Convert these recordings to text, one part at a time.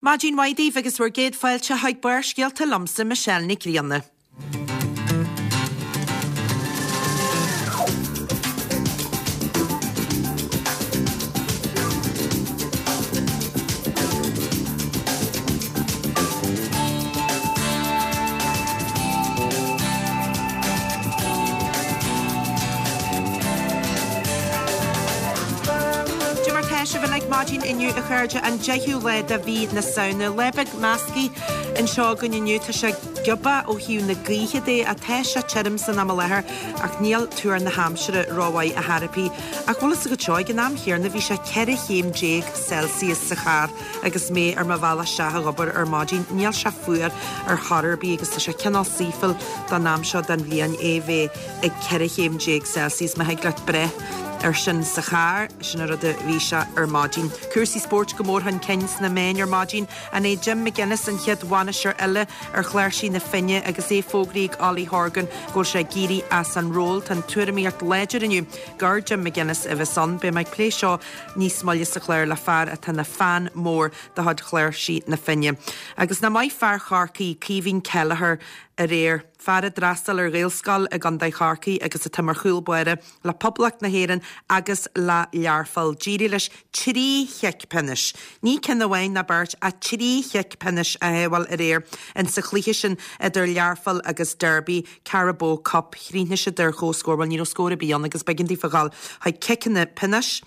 Maidin mhaith daoibh agus bhur gcéad fáilte chuig Barrscéalta liomsa, Michelle Nic Grianna. Cad é mar tá sibh uilig maidin inniu a chairde, an 10ú lá de mhí na Samhna. Lá beag measctha anseo againn inniu, tá sé giobach ó thaobh na gaoithe de ach tá sé tirim san am i láthair ach níl tuar na haimsire rómhaith ar chor ar bith. Ach bhfuil fhios agat seo, ag an am chéanna bhí sé 14 chéim Celsius sa charr agus mé ar mo bhealach isteach ag obair ar maidin. Níl sé fuar ar chor ar bith agus tá sé cineál saoithiúil don am seo den bhliain é bheith ag 14 chéim Celsius, má thig leat breith air sin sa charr, sin an rud a bhí sé ar maidin. Cúrsaí spóirt go mór chun cinn sna meáin ar maidin. An é Jim McGuinness an chéad bhainisteoir eile ar chláirsí na Finne agus é fógraithe ag Ollie Horgan go bhfuil sé ag éirí as an ról? Tá an tuairimíocht láidir inniu gur Jim McGuinness a bheas ann. Beidh mé ag plé seo níos moille sa chlár le fear atá ina fan mór de chuid chláirsí na Finne. Agus nach maith fear Chorcaí, Caoimhín Kelleher, aréir. Fear a d'fhreastail ar Ghaelscoil i gContae Chorcaí agus atá mar chúl báire le Poblacht na hÉireann agus le Learpholl. D'éirigh leis 3 chic pionóis, ní ceann amháin ná beirt ach 3 chic pionóis a shábháil aréir insa chluiche sin idir Learpholl agus Derby, Carabao Cup. Chríochnaigh siad ar chomhscór, bhuel ní raibh scór ar bith ann agus b'éigean daofa dhul chuig ciceanna pionóis.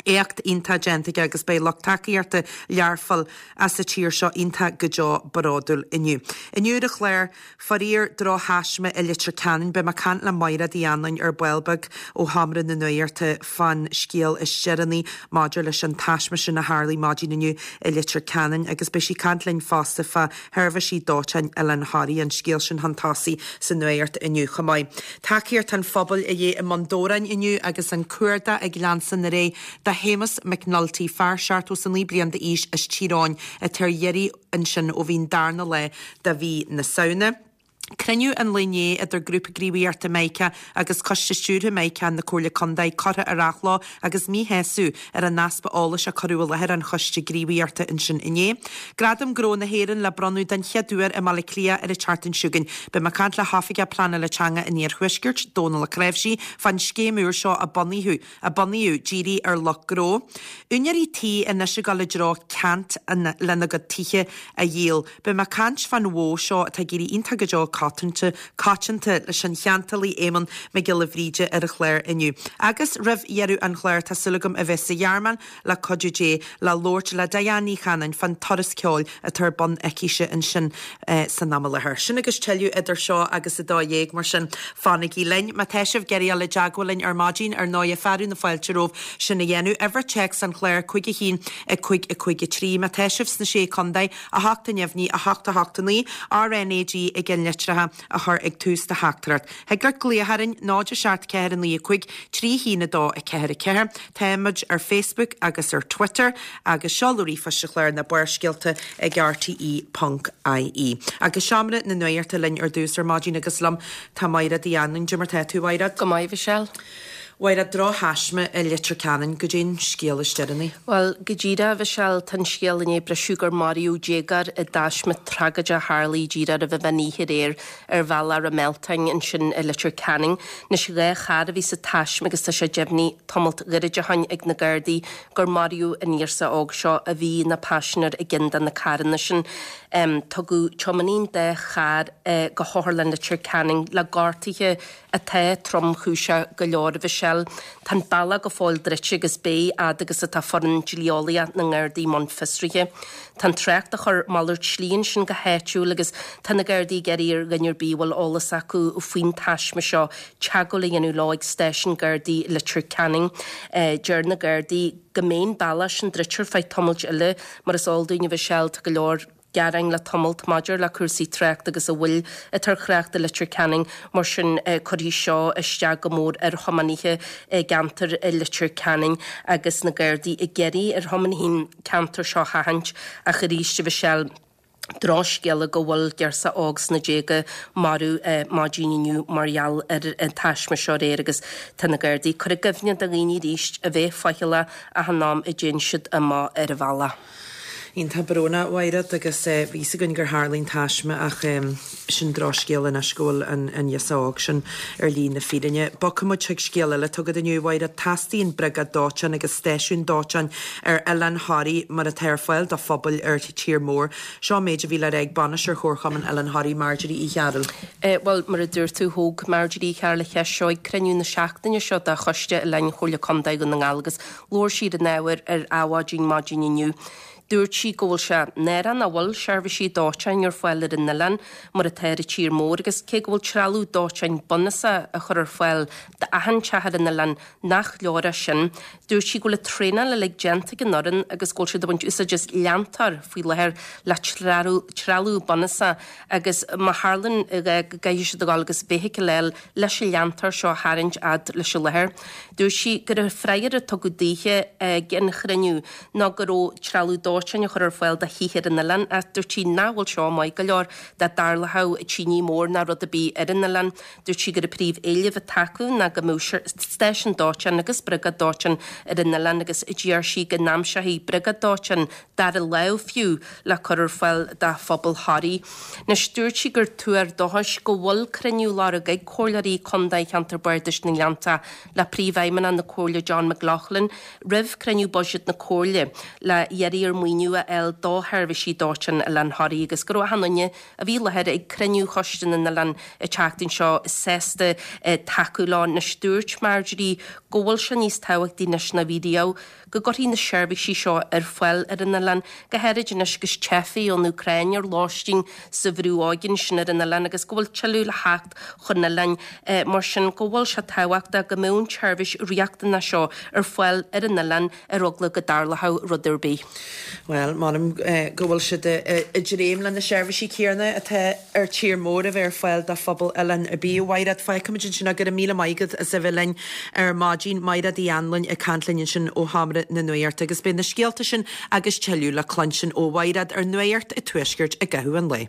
Éacht iontach déanta aige agus beidh lucht tacaíochta Learphoill as an tír seo iontach go deo bródúil inniu. Inniu ar an chlár, faraor drochthaisme i Leitir Ceanainn. Beidh mé ag caint le Maighread Uí Anluain ar ball beag ó Sheomra na Nuachta fán scéal is deireanaí maidir leis an taisme sin a tharlaigh maidin inniu i Leitir Ceanainn agus beidh sí ag caint linn fosta fá sheirbhísí dóiteáin Oileán Thoraí, an scéal sin chun tosaigh sa nuacht inniu chomh maith. Tacaíocht an phobail a dhíth i mBun Dobhráin inniu agus an cuardach ag leanstan ar aghaidh do Shéamus McNulty, fear 79 bliain d'aois as Tír Eoghain atá ar iarraidh ansin ó bhí an darna lá de mhí na Samhna. Cruinniú an lae inné idir Grúpa Gníomhaíochta Mica agus Coiste Stiúrtha Mica na Comhairle Contae curtha ar athló agus míshásamh ar an easpa eolais a cuireadh i láthair an Choiste Gníomhaíochta ansin inné. Gradam Gnó na hÉireann le bronnadh den chéad uair i mBaile Átha Cliath ar an tseachtain seo chugainn. Beidh mé ag caint le hOifigeach Pleanála Teanga an Iarthuaiscirt, Dónal Ó Cnáimhsí, fán scéim úr seo a bunaíodh a bunaíodh dírithe ar lucht gnó. Úinéirí tí anois ag dul i dtreo ceant lena gcuid tithe a dhíol. Beidh mé ag caint fán mhodh seo atá ag éirí iontach go deo coitianta coitianta leis an cheantálaí Éamonn Mac Giolla Bhríde ar an chlár inniu. Agus roimh dheireadh an chláir tá súil agam a bheith sa Ghearmáin le cuidiú Dé le labhairt le Diane Ní Chanainn fán turas ceoil atá ar bun aicise ansin san am i láthair. Sin agus tuilleadh idir seo agus 12, mar sin fanaigí linn. Má tá sibh ag iarraidh dul i dteagmháil linn ar maidin, ar ndóighe, fearadh na fáilte romhaibh sin a dhéanamh. Uimhir téacs an chláir, 5 1 5 5 3. Má tá sibh sna Sé Contae, 8 neamhní, 8 8 9, RnaG i gceannlitreacha a chur ag tús do theachtaireacht. Thig leat glaoch orainn, 0 7 4 9 5 3 1 2 4 4. Táimid ar Facebook agus ar Twitter agus seoladh ríomhphoist an chláir ná Barrscéalta ag rte ponc ie. Agus Seomra na Nuachta linn ar dtús ar maidin agus liom tá Maighread Uí Anluain. Cad é mar tá tú, a Mhaighread? Go maith, Mhichelle. Mhaighread, drochthaisme i Leitir Ceanainn, goidé an scéal is deireanaí? Bhuel, go díreach, a Mhichelle, tá an scéal i ndiaidh briseadh gur maraíodh déagóir i dtaisme tragóideach a tharlaigh díreach roimh an mheán oíche aréir ar bhealach Ráth Mealtain ansin i Leitir Ceanainn. Anois, 2 charr a bhí sa taisme agus tá sé deimhnithe tamalt gairid ó shoin ag na Gardaí gur maraíodh an ghiorsa óg seo a bhí ina phaisinéir i gceann de na carranna sin. Tugadh tiománaí an dá charr go hOtharlann Leitir Ceanainn le gortuithe atá tromchúiseach go leor, a Mhichelle. Tá an bealach go fóill druidte agus beidh, fhad agus atá foireann dlí-eolaíoch na nGardaí i mbun fiosraithe. Tá an trácht á chur malairt slí ansin go háitiúil agus tá na Gardaí ag iarraidh ar dhuine ar bith a bhfuil eolas acu faoin taisme seo teagmháil a dhéanamh leo ag stáisiún Gardaí Leitir Ceanainn. Deir na Gardaí go mbeidh an bealach sin druidte ar feadh tamaill eile. Mar is eol dúinn, a Mhichelle, tá go leor. gearáin le tamalt maidir le cúrsaí tráchta agus an mhoill atá ar thrácht i Leitir Ceanainn, mar sin cuirfidh seo isteach go mór ar thiománaithe i gceantar Leitir Ceanainn agus na Gardaí ag iarraidh ar thiománaithe an ceantar seo a sheachaint ach arís a Mhichelle, drochscéala go bhfuil girseach óg sna déaga marbh maidin inniu mar gheall ar an taisme seo aréir agus tá na Gardaí ag cur i gcuimhne do dhaoine arís a bheith faichilleach achan am a dtéann siad amach ar an bhealach. Iontach brónach, a Mhaighread, agus bhí fhios againn gur tharlaigh an taisme ach sin drochscéal anois go bhfuil an ghirseach óg sin ar shlí na fírinne. Bogfaidh muid chuig scéal eile atá agat inniu, a Mhaighread. Teastaíonn briogáid dóiteáin agus stáisiún dóiteáin ar Oileán Thoraí mar atá ar fáil do phobail ar tír mór. Seo an méid a bhí le rá ag Bainisteoir Chomharchumann Oileán Thoraí, Marjorie Uí Chearúil. Bhuel, mar a dúirt tú, thóg Marjorie Uí Chearúil an cheist seo ag cruinniú na seachtaine seo de Choiste Oileáin Chomhairle Contae Dhún na nGall agus Labhair sí ar an ábhar ar Adhmhaidin maidin inniu. Dúirt sí go bhfuil sé náireach nach bhfuil seirbhísí dóiteáin ar fáil ar an oileán mar atá ar an tír mór agus cé go bhfuil trealamh dóiteáin bunúsach á chur ar fáil d'achan teach ar an oileán nach leor é sin. Dúirt sí go bhfuil an traenáil uilig déanta ag an fhoireann agus go bhfuil siad ag baint úsáid as leantóir faoi láthair le trealamh bunúsach agus má tharlaíonn go gcaithfidh siad a dhul agus feithicil a fháil leis an leantóir seo a tharraingt fhad leis an láthair. Dúirt sí gur an freagra a tugadh daoithe ag an chruinniú ná go raibh trealamh dóiteáin á chur ar fáil do thithe ar an oileán ach dúirt sí nach bhfuil seo maith go leor dá dtarlódh tine mór ná rud ar bith ar an oileán. Dúirt sí gur an príomh éileamh atá acu ná go mbeadh stáisiún dóiteáin agus briogáid dóiteáin ar an oileán agus d'iarr sí go n-aimseofaí briogáid dóiteáin dara lámh fiú le cur ar fáil do phobal Thoraí. Anois, dúirt sí gur tuar dóchais go bhfuil cruinniú á lorg ag Comhairleoirí Contae Cheantar Bardais na nGleanntach le Príomhfheidhmeannach na Comhairle John McLaughlin roimh cruinniú buiséid na Comhairle le iarraidh ar maoiniú a fháil do sheirbhísí dóiteáin Oileán Thoraí agus go raibh achan duine a bhí i láthair ag cruinniú Choiste na nOileán an tseachtain seo sásta tacú leo. Anois, dúirt Marjorie go bhfuil sé níos tábhachtaí anois ná bhí riamh go gcuirfí na seirbhísí seo ar fáil ar an oileán, go háirid anois agus teifigh ón Úcráin ar lóistín sa bhrú óige ansin ar an oileán agus go bhfuil tuilleadh le theacht chun an oileáin, mar sin go bhfuil sé tábhachtach go mbeadh an tseirbhís riachtanach seo ar fáil ar an oileán ar eagla go dtarlódh rud ar bith. Bhuel, m'anam go bhfuil siad ag dréim le na seirbhísí céanna atá ar tír mór a bheith ar fáil do phobal oileán ar bith. A Mhaighread, fágfaimid ansin é. Go raibh míle maith agat as a bheith linn ar maidin. Maighread Uí Anluain ag caint linn ansin ó Sheomra na Nuachta. Agus beidh na scéalta sin agus tuilleadh le cluinstin ó Mhaighread ar Nuacht an Tuaiscirt i gcaitheamh an lae.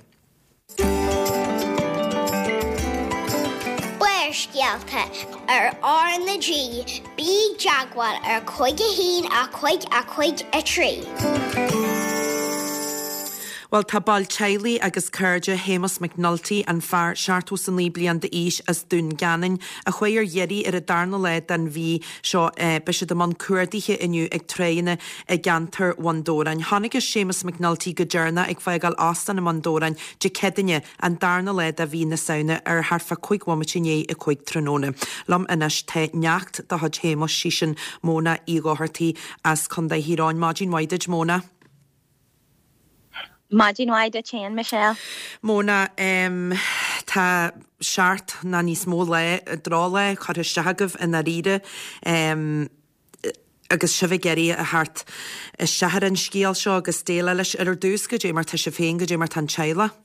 Barrscéalta ar R na G, bí i dteagmháil ar 5 1 5 5 3. Bhuel, tá baill teaghlaigh agus cairde Shéamus McNulty, an fear 79 bliain d'aois as Dún Geanainn, a chuaigh ar iarraidh ar an darna lá den mhí seo, beidh siad i mbun cuardaithe inniu ag tráigheanna i gceantar Bhun Dobhráin. Chonacthas Séamus McNulty go deireanach ag fágáil óstán i mBun Dobhráin Dé Céadaoine, an darna lá de mhí na Samhna, ar thart fá 5 bhomaite i ndiaidh 5 tráthnóna. Liom anois tá neacht de chuid Shéamuis, sí sin Móna Uí Dhochartaigh as Contae Thír Eoghain. Maidin mhaith duit, Móna. Maidin mhaith duit féin, Michelle. Móna, tá seacht nó níos mó lá, drochlá curtha isteach agaibh i ndáiríre agus sibh ag iarraidh a theacht isteach ar an scéal seo agus déileáil leis. Ar dtús, goidé mar tá sibh féin, goidé mar tá an teaghlach?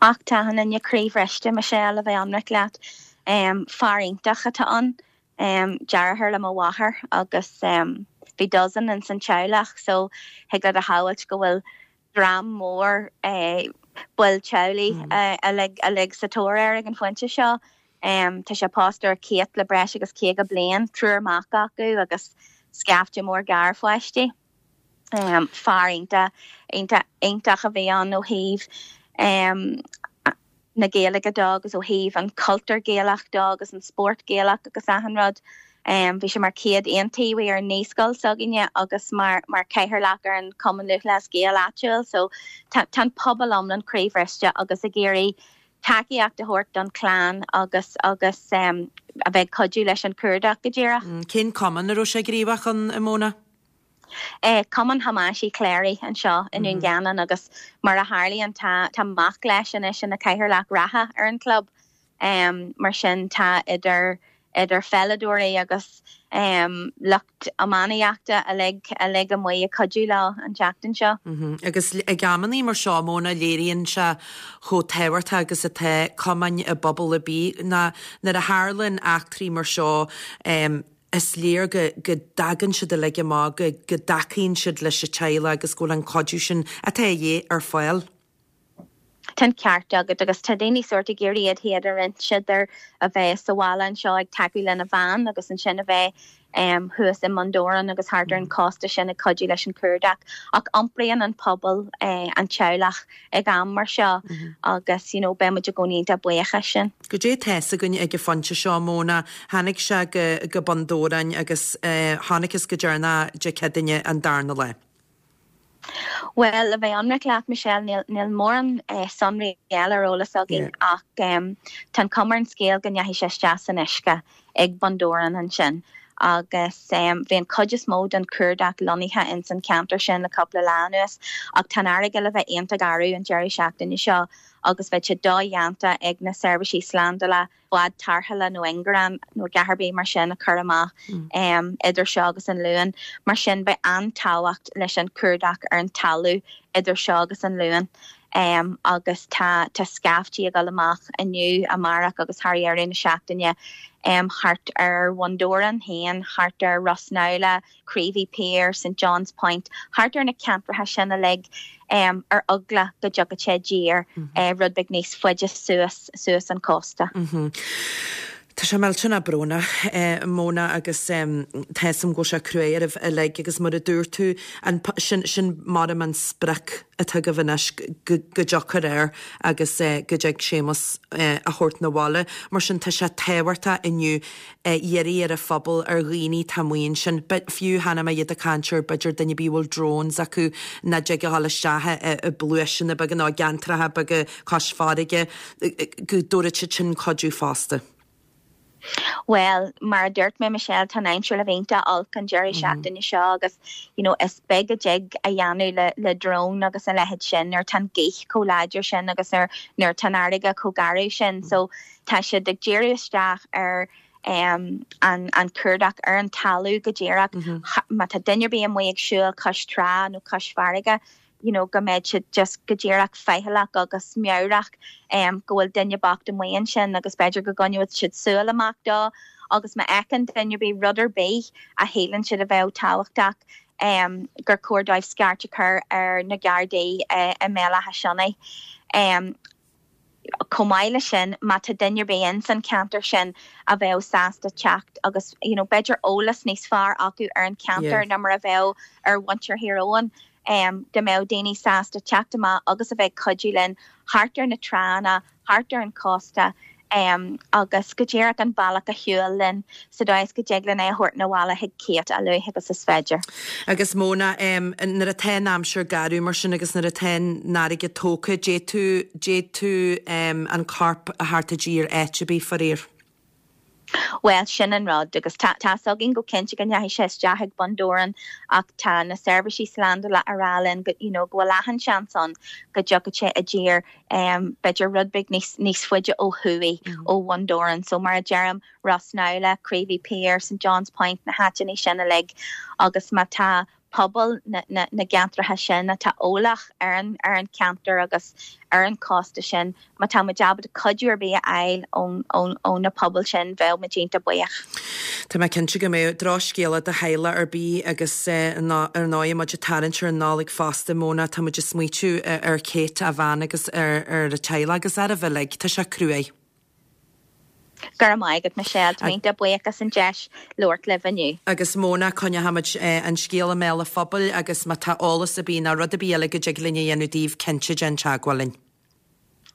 Ach tá achan duine croíbhriste, Michelle, a bheith ionraic leat. Fear iontach atá ann. Deartháir le mo mháthair agus bhí dozen ins an teaghlach so thig leat a shamhailt go bhfuil dream mór baill teaghlaigh uilig sa tóir air ag an phointe seo. Tá sé pósta ar Kate le breis agus 50 bliain, triúr mac acu agus scaifte mór garpháistí. Fear iontach, iontach, iontach a bhí ann ó thaobh na Gaeilge de agus ó thaobh an cultúr Gaelach de agus an spórt Gaelach agus achan rud. Bhí sé mar chéad iontaobhaí ar an naíscoil s'againne agus mar mar chathaoirleach ar an Cumann Lúthchleas Gael áitiúil so tá tá an pobal iomlán croíbhriste agus ag iarraidh tacaíocht a thabhairt don chlann agus agus a bheith ag cuidiú leis an cuardach go díreach. Cén cumann a raibh sé gníomhach ann, a Mhóna? Cumann Thomáis Uí Chléirigh anseo i nDún Geanainn agus mar a tharlaíonn tá tá mac leis anois ina chathaoirleach reatha ar an chlub. Mar sin tá idir idir pheileadóirí agus lucht iománaíochta uilig uilig amuigh ag cuidiú leo an tseachtain seo. Agus ag amannaí mar seo, Móna, léiríonn sé chomh tábhachtach agus atá cumainn i bpobal ar bith ná nuair a tharlaíonn eachtraí mar seo, is léir go go dtagann siad uilig amach, go go dtacaíonn siad leis an teaghlach agus go bhfuil an cuidiú sin atá a dhíth ar fáil. Tá an ceart agat agus tá daoine sórt ag iarraidh iad féin a roinnt idir a bheith sa bhaile anseo ag tacú lena bhean agus ansin a bheith thuas i mBun Dobhráin agus thart ar an chósta sin ag cuidiú leis an chuardach. Ach iompraíonn an pobal an teaghlach ag am mar seo agus you know beidh muid i gcónaí iontach buíoch as sin. Goidé tá fhios againn ag an phointe seo, Mona, tháinig sé go Bun Dobhráin agus chonacthas go deireanach Dé Céadaoine an darna lá. Bhuel, le bheith ionraic leat, Michelle, níl, níl mórán sonraí eile ar eolas againn ach tá an chuma ar an scéal go ndeachaigh sé isteach san uisce ag Bun Dobhráin ansin agus bhí an chuid is mó den chuardach lonnaithe ins an cheantar sin le cúpla lá anuas ach tá an fharraige le bheith iontach garbh an deireadh seachtaine seo agus bheadh sé dodhéanta ag na seirbhísí slándála bád tarrthála nó ingearán nó a dhath ar bith mar sin a chur amach idir seo agus an Luan. Mar sin beidh an-tábhacht leis an chuardach ar an talamh idir seo agus an Luan. Agus tá tá scaiftí ag dul amach inniu, amárach agus thar dheireadh na seachtaine thart ar Bhun Dobhráin féin, thart ar Ros Neamhlach, Creevy Pier, St John's Point, thart ar na ceantracha sin uilig ar eagla go dtiocfadh sé i dtír rud beag níos faide suas suas an cósta. Tá sé millteanach brónach, Mona, agus tá fhios a'm go bhfuil sé cruaidh oraibh uilig agus mar a dúirt tú, an, sin, sin maram an sprioc atá agaibh anois, go, go dtiocfar air agus go dtig Séamus a thabhairt 'na bhaile. Mar sin tá sé tábhachtach inniu iarraidh ar an phobal, ar dhaoine atá amuigh ansin, fiú chonaic mé iad ag caint ar b'fhéidir duine ar bith a bhfuil drones acu nach dtig a dhul isteach i bpluaiseanna beaga nó i gceantracha beaga cois farraige, go dtabharfadh siad sin cuidiú fosta. Bhuel, mar a dúirt mé, Michelle, tá an aimsir le bheith iontach olc an deireadh seachtaine seo agus you know is beag a dtig a dhéanamh le le drone agus a leithéid sin nuair atá an ghaoth chomh láidir sin agus nuair nuair atá an fharraige chomh garbh sin. So Tá siad ag díriú isteach ar an an cuardach ar an talamh go díreach. Má tá duine ar bith amuigh ag siúl cois trá nó cois farraige, you know, go mbeidh siad just go díreach faichilleach agus meabhrach go bhfuil duine bocht amuigh ansin agus b'fhéidir go gcoinneoidh siad súil amach dó agus má fheiceann duine ar bith rud ar bith a shíleann siad a bheadh tábhachtach gur chóir dóibh scairt a chur ar na Gardaí i mBéal Átha Sionna. Chomh maith leis sin, má tá duine ar bith ins an cheantar sin a bheadh sásta teacht agus you know b'fhéidir eolas níos fearr acu ar an cheantar ná mar a bheadh ar mhuintir Thír Eoghain, dá mbeadh daoine sásta teacht amach agus a bheith ag cuidiú linn thart ar na tránna, thart ar an chósta agus go díreach an bealach a shiúl linn sa dóigh is go dtig linn é a thabhairt 'na bhaile chuig Kate a luaithe agus is féidir. Agus Mona, nuair atá an aimsir garbh mar sin agus nuair atá an fharraige tógtha, d'fhéadfadh, d'fhéadfadh an corp a theacht i dtír áit ar bith, faraor. Bhuel, sin an rud, agus tá, tá's againn go cinnte go ndeachaigh sé isteach ag Bun Dobhráin ach tá na seirbhísí slándála a rá linn go, you know, go bhfuil achan seans ann go dtiocfadh sé i dtír, b'fhéidir rud beag níos, níos faide ó thuaidh ó Bhun Dobhráin. So mar a deirim, Rossnowlagh, Creevy Pier, St John's Point, na háiteanna sin uilig agus má tá pobal na gceantracha sin atá eolach ar an ar an cheantar agus ar an chósta sin, má tá muid ábalta cuidiú ar bith a fháil ón ón ó na pobail sin bheadh muid iontach buíoch. Tá mé cinnte go mbeadh. Drochscéala do theaghlach ar bith agus ar ndóigh muid ag tarraingt ar an Nollaig fosta, Mona, tá muid ag smaoitiú ar Kate, a bhean agus ar ar a teaghlach agus oraibh uilig. Tá sé cruaidh. Go raibh maith agat, Michelle. Tá mé iontach buíoch as an deis labhairt libh inniu. Agus Mona, coinneochaimid an scéal i mbéal an phobail agus má tá eolas ar bith nó rud ar bith eile go dtig linn a dhéanamh daoibh, cinnte déan teagmháil linn.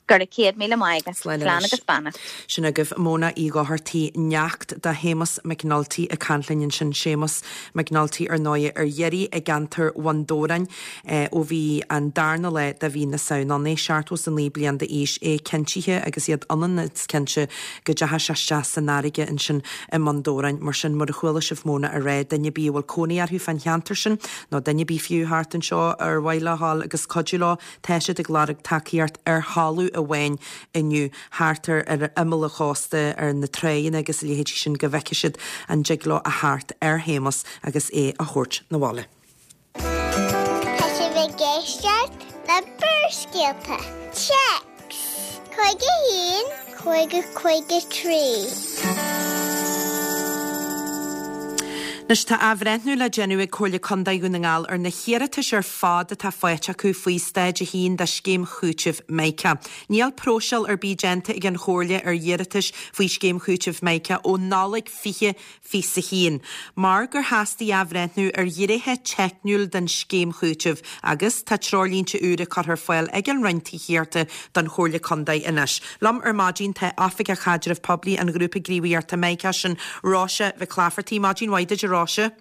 Go raibh 100,000 maith agat. Slán agus beannacht. Sin agaibh Mona Uí Dhochartaigh, neacht do Shéamus McNulty ag caint linn ansin. Séamus McNulty ar ndóigh ar iarraidh i gceantar Bhun Dobhráin ó bhí an darna lá de mhí na Samhna ann, é 79 bliain d'aois, é cinntithe agus iad ionann is cinnte go dteachaigh sé isteach san fharraige ansin i mBun Dobhráin. Mar sin, mar a chuala sibh Mona a rá, duine ar bith a bhfuil cónaí orthu fán cheantar sin, nó duine ar bith fiú thart anseo ar mhaith leo a ghabháil agus cuidiú leo, tá siad ag lorg tacaíocht ar thalamh amháin inniu, thart ar ar imeall an chósta, ar na tráigheanna agus a leithéidí sin, go bhfeicfidh siad an dtig leo a theacht ar Shéamus agus é a thabhairt 'na bhaile. Tá sibh ag éisteacht le Barrscéalta. Téacs 51 50 53. Anois tá athbhreithniú le déanamh ag Comhairle Contae Dhún na nGall ar na hiarratais ar fad atá faighte acu faoi Staid 1 de Scéim Chúitimh Mica. Níl próiseáil ar bith déanta ag an Chomhairle ar iarratais faoi Scéim Chúitimh Mica ó Nollaig 2021, mar gur theastaigh athbhreithniú ar ghnéithe teicniúil den scéim chúitimh agus tá treoirlínte úra curtha ar fáil ag an Roinn Tithíochta don Chomhairle Contae anois. Liom ar maidin tá Oifigeach Chaidreamh Poiblí an Ghrúpa Gníomhaíochta Mica, sin Róise Mhic Laifeartaigh. Maidin mhaith duit a Róise.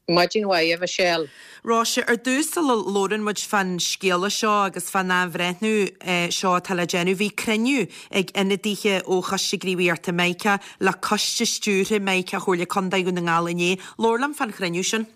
Maidin mhaith a Mhichelle. Róise, ar dtús sula labhrann muid fán scéala seo agus fán athbhreithniú seo atá le déanamh, bhí cruinniú ag ionadaithe ó Choiste Gníomhaíochta Mica le Coiste Stiúrtha Mica Chomhairle Contae Dhún na nGall inné. Labhair liom fán chruinniú sin.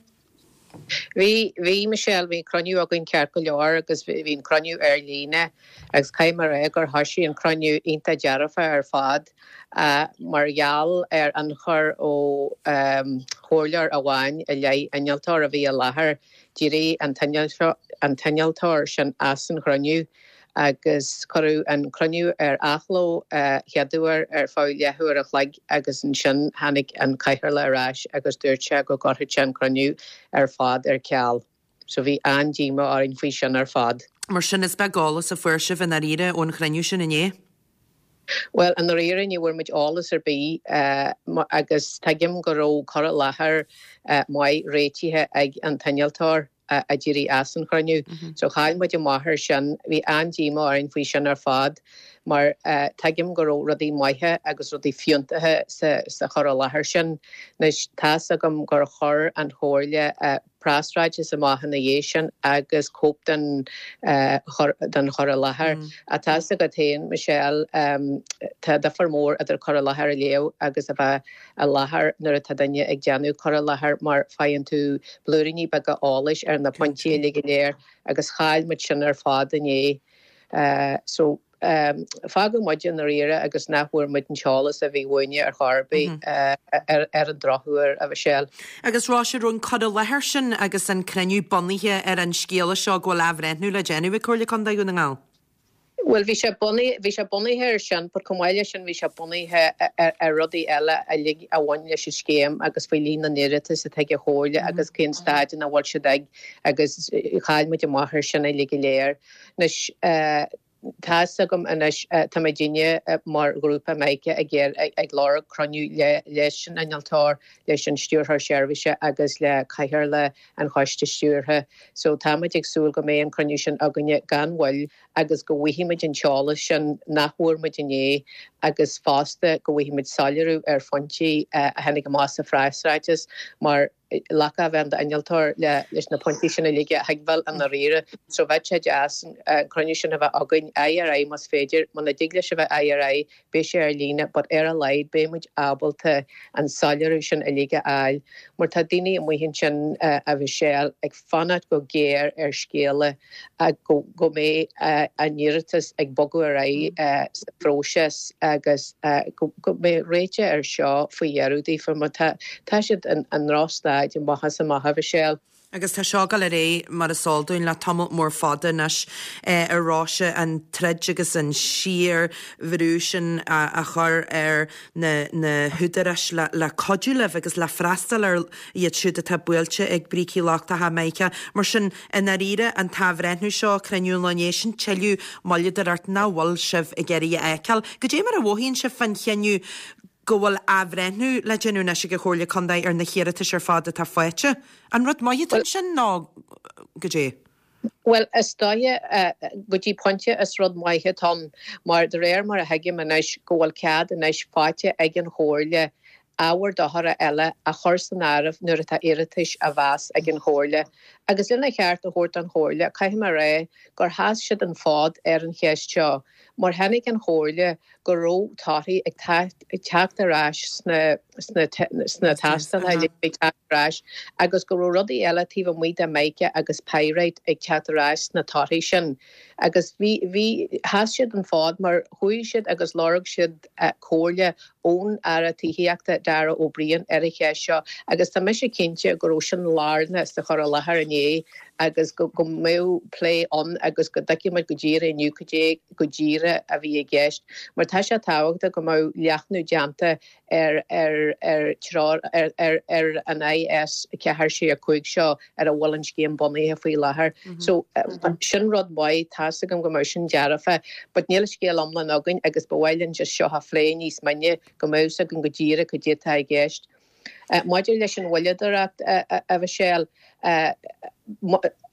Bhí, bhí, Michelle, bhí an cruinniú againn ceart go leor agus bhí an cruinniú ar líne agus caithfidh mé a rá gur thoisigh an cruinniú iontach dearfa ar fad mar gheall ar ionchur ó chomhairleoir amháin i leith innealtóir a bhí i láthair, d'éirigh an t-innealtóir sin as an chruinniú. agus cuireadh an cruinniú ar athló chéaduair ar feadh leathuair a chloig agus ansin tháinig an cathaoirleach ar ais agus dúirt sé go gcuirfeadh sé an cruinniú ar fad ar ceal. So bhí an-díomá orainn faoi sin ar fad. Mar sin is beag eolas a fuair sibh i ndáiríre ón chruinniú sin inné? Bhuel, i ndáiríre ní bhfuair muid eolas ar bith agus tuigim go raibh cur i láthair maith réitithe ag an t-innealtóir. a d'éirigh as an chruinniú. So chaill muid amach ar sin. Bhí an-díomá orainn faoi sin ar fad mar tuigim go raibh rudaí maithe agus rudaí fiúntacha sa chur i láthair sin. Anois tá's agam gur chuir an Chomhairle preasráiteas amach ina dhiaidh sin agus cóip den den chur i láthair. Ach tá's agat féin, Michelle, tá difear mór idir cur i láthair a léamh agus a bheith i láthair nuair atá duine ag déanamh cur i láthair mar faigheann tú blúiríní beaga eolais ar na pointí uilig go léir agus chaill muid sin ar fad inné. So fágadh muid i ndáiríre agus nach bhfuair muid an t-eolas a bhí uainne ar chor ar bith ar an drochuair, a Mhichelle. Agus Róise, raibh an cur i láthair sin agus an cruinniú bunaithe ar an scéala seo go bhfuil athbhreithniú le déanamh ag Comhairle Contae Dhún na nGall? Bhuel, bhí sé bunaithe, bhí sé bunaithe ar sin, but chomh maith leis sin bhí sé bunaithe ar rudaí eile uilig a bhain leis an scéim agus faoi líon na n-iarratas atá ag an Chomhairle agus cén staid ina bhfuil siad ag agus chaill muid amach ar sin uilig go léir. Anois, tá's agam anois, tá muidinne mar ghrúpa Mica ag ag lorg cruinniú le leis an innealtóir, leis an Stiúrthóir Seirbhíse agus le Cathaoirleach an Choiste Stiúrtha. So tá muid ag súil go mbeidh an cruinniú sin againne gan mhoill agus go bhfaighidh muid an t-eolas sin nach bhfuair muid inné agus fosta go bhfaighidh muid soiléiriú ar phointí a tháinig amach sa phreasráiteas mar leaca a bheith ann d'innealtóir leis na pointí sin uilig a thuigbheáil i ndáiríre. So bheadh sé deas an cruinniú sin a bheith againn aghaidh ar aghaidh más féidir, muna dtig leis a bheith aghaidh ar aghaidh beidh sé ar líne but ar a laghad beidh muid ábalta an soiléiriú sin uilig a fháil mar tá daoine amuigh ansin a Mhichelle ag fanacht go géar ar scéala go go mbeidh a n-iarratas ag bogadh ar aghaidh sa phróiseas agus go go mbeidh réiteach ar seo faoi dheireadh daofa mar tá tá siad i ndrochstaid amach is amach a Mhichelle. Agus tá seo ag dul ar aghaidh, mar is eol dúinn, le tamall mór fada anois, a Róise, an troid agus an síor-bhrú sin a chur ar na húdaráis le cuidiú libh agus le freastal ar iad siúd atá buailte ag brící lochtacha Mica. Mar sin, i ndáiríre, an t-athbhreithniú seo, cruinniú an lae inné, sin tuilleadh moilleadóireacht nach bhfuil sibh ag iarraidh a fheiceáil. Goidé mar a mhothaíonn sibh fán chinneadh go bhfuil athbhreithniú le déanamh anois ag an Chomhairle Contae ar na hiarratais ar fad atá faighte. An rud maith atá ansin nó goidé? Bhuel, is dóiche, go dtí pointe is rud maith atá ann, mar de réir mar a thuigim anois go bhfuil cead anois faighte ag an Chomhairle ábhair dochair eile a chur san áireamh nuair atá iarratais á mheas ag an Chomhairle. Agus lena cheart a thabhairt don Chomhairle, caithfidh mé a rá gur sheas siad an fód ar an cheist seo, mar chonaic an Chomhairle go raibh torthaí ag teacht ar ais sna sna tástálacha a bhí ag teacht ar ais agus go raibh rudaí eile taobh amuigh de mica agus pyrite ag teacht ar ais sna torthaí sin agus bhí bhí sheas siad an fód mar chuaigh siad agus lorg siad comhairle ón Aire Tithíochta Darragh O'Brien ar an cheist seo agus tá mise cinnte go raibh sin lárnach sa chur i láthair inné. agus go go mbeadh plé ann agus go dtuigfidh muid go díreach inniu cad é go díreach a bhí i gceist. Mar tá sé tábhachtach go mbeadh leathnú déanta ar ar ar treoir ar ar ar an IS 4 6 5 seo ar a bhfuil an scéim bunaithe faoi láthair. So sin rud maith, tá's agam go mbeadh sin dearfa, but níl an scéal iomlán againn agus ba mhaith linn just seo a phlé níos mine go mbeadh 's againn go díreach cad é atá i gceist. Maidir leis an mhoilleadóireacht, a Mhichelle,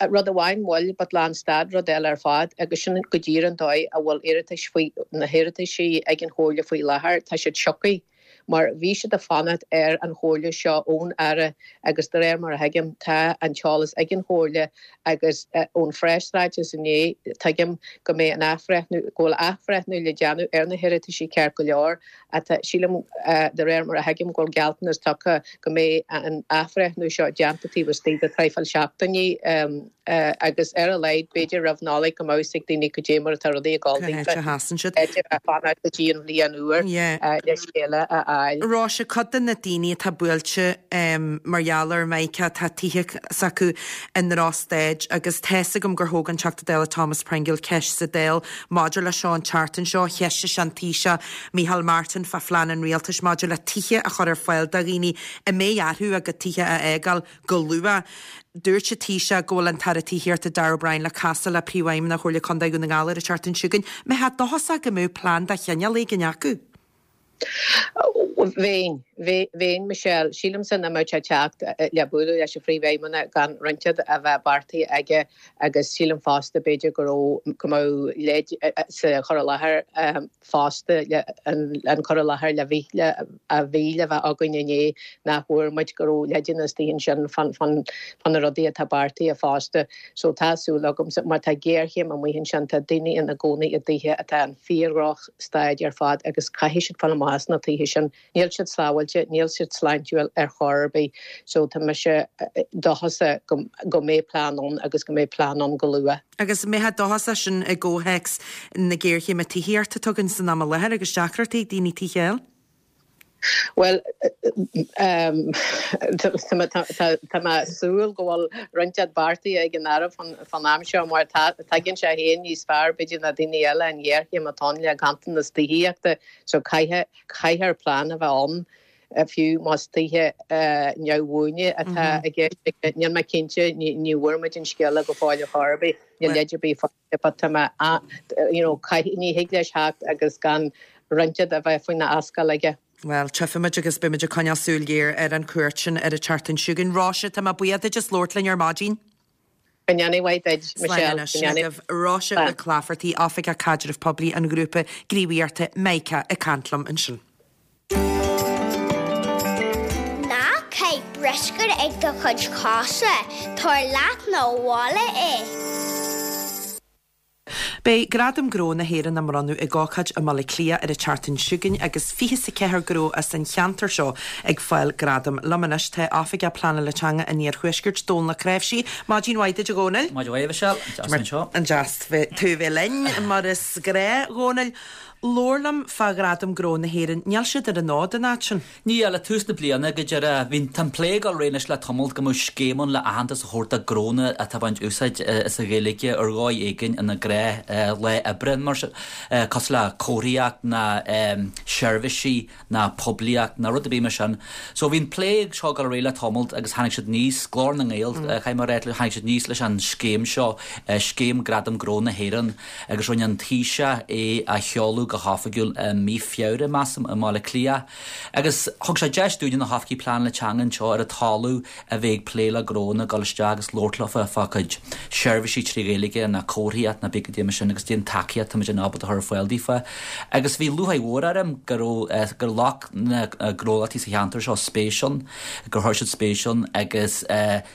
rud amháin moill but lánstad rud eile ar fad agus sin go díreach an dóigh a bhfuil iarratais faoi, na hiarrataisí ag an Chomhairle faoi láthair, tá siad siocaithe mar bhí siad ag fanacht ar an chomhairle seo ón Aire agus de réir mar a thuigim tá an t-eolas ag an Chomhairle agus ón phreasráiteas inné tuigim go mbeidh an athbhreithniú, go bhfuil athbhreithniú le déanamh ar na hiarrataisí ceart go leor Tá, sílim, de réir mar a thuigim, go bhfuil gealltanas tugtha go mbeidh an athbhreithniú seo déanta taobh istigh de traidhfil seachtainí agus ar a laghad, b'fhéidir roimh Nollaig, go mbeadh 'fhios ag daoine cad é mar atá rudaí ag dul daofa. Cá háit a sheasann siad. B'fhéidir a fanacht go dtí an bhliain úr le scéala a fháil. Róise, cuid de na daoine atá buailte mar gheall ar Mhichael, tá tithe s'acu i ndrochstaid agus tá's agam gur thóg an Teachta Dála Thomas Pringle ceist sa Dáil Maidir leis seo an tseachtain seo, cheistigh sé an Taoiseach Micheál Martin fá phlean an rialtais maidir le tithe a chur ar fáil do dhaoine a mbeidh orthu a gcuid tithe a fhágáil go luath. Dúirt an Taoiseach go bhfuil an tAire Tithíochta Darragh O'Brien le casadh le Príomhfheidhmeannach Chomhairle Contae Dhún na nGall ar an tseachtain seo chugainn. Mbeifeá dóchasach go mbeadh plean de chineál éigin acu? Bheinn. Bheinn, Michelle. Sílimse nach mbeadh sé ag teacht le bualadh leis an Phríomhfheidhmeannach gan roinnt a bheith beartaithe aige agus sílim fosta b'fhéidir go raibh, go mbeadh leid sa chur i láthair fosta, an cur i láthair le bhí, a bhí le bheith againn inné nach bhfuair muid, go raibh leideanna istigh ansin fá na rudaí atá beartaithe fosta. So tá súil agamsa, mar tá géarchéim amuigh ansin, tá daoine ina gcónaí i dtithe atá in fíor-dhroch staid ar fad agus caithfidh siad fáil amach as na tithe sin. Níl siad sábháilte, níl siad sláintiúil ar chor ar bith so tá mise dóchasach go go mbeidh plean ann agus go mbeidh plean ann go luath. Agus an mbeifeá dóchasach sin i gcomhthéacs na géarchéime tithíochta atá againn san am i láthair agus deacrachtaí ag daoine tithe a fháil? Bhuel, tá mé ag súil go bhfuil roinnt beartaithe ag an Aire fán am seo mar tuigeann sé féin níos fearr b'fhéidir ná daoine eile an ghéarchéim atá ann le ganntanas tithíochta so caithfear plean a bheith ann fiú más tithe neamhbhuana atá i gceist. Níl mé cinnte, ní bhfuair muid an scéala go fóill ar chor ar bith, níl leid ar bith But tá mé, you know, ní thig leis theacht agus gan roinnt a bheith faoina ascaill aige. Bhuel, tchífimid agus beimid ag coinneáil súil ghéar ar an chuairt sin ar an tseachtain seo chugainn. Róise, tá mé buíoch duit as labhairt linn ar maidin. Go ndéana mhaith duit, Slán Michelle. anois. Sin agaibh Róise Mhic Laifeartaigh, Oifigeach Caidrimh Poiblí an ghrúpa gníomhaíochta Mica ag caint liom ansin. Ná caith bruscar ag do chuid cosa, tabhair leat 'na bhaile é. Beidh Gradaim Gnó na hÉireann á mbronnadh ag ócáid i mBaile Átha Cliath ar an tseachtain seo chugainn agus 24 gnó as an cheantar seo ag fáil gradam. Liom anois tá Oifigeach Pleanála Teanga an Iarthuaiscirt, Dónal Ó Cnáimhsí. Maidin mhaith duit a Dhónaill. Maidin mhaith a Mhichelle, an deas anseo. An deas tú a bheith linn mar is gnáth, a Dhónaill. Labhair liom fá Ghradaim Gnó na hÉireann. Níl siad ar an fhód an fhad sin. Níl, le tús na bliana go díreach. Bhí, tá an plé ag dul ar aghaidh anois le tamall go mbeadh scéim ann le aitheantas a thabhairt do ghnónna atá ag baint úsáid as an Ghaeilge ar dhóigh éigin ina ngnáth lá oibre, mar sin, cosúil le comharthaíocht ná seirbhísí ná poiblíocht ná rud ar bith mar sin. So bhí an plé seo ag dul ar aghaidh le tamall agus tháinig siad aníos, Glór na nGael, caithfidh mé a rá, tháinig siad aníos leis an scéim seo, Scéim Gradam Gnó na hÉireann. agus rinne an Taoiseach é a sheoladh go hoifigiúil i mí Feabhra, measaim, i mBaile Átha Cliath. Agus thug sé deis dúinne, na hoifigigh pleanála teanga anseo ar an talamh a bheith ag plé le gnónna, dul isteach agus labhairt leofa fá chuid seirbhísí trí Ghaeilge ná comharthaíocht ná pé cad é mar sin agus cad é an tacaíocht tá muid ábalta a chur ar fáil daofa. Agus bhí lúcháir mhór orm go raibh, gur ghlac na gnólachtaí sa cheantar seo spéis ann, gur chuir siad spéis ann agus,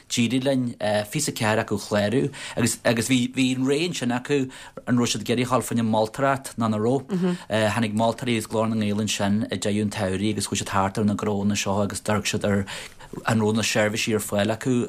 D'éirigh linn 24 acu a chlárú agus agus bhí bhí an rogha ansin acu an raibh siad ag iarraidh a dhul fá choinne moltóireacht nó nach raibh. Tháinig moltóirí as Glór na nGael ansin i deireadh an tsamhraidh agus chuaigh siad thart ar na gnónna seo agus d'amharc siad ar. an raibh na seirbhísí ar fáil acu,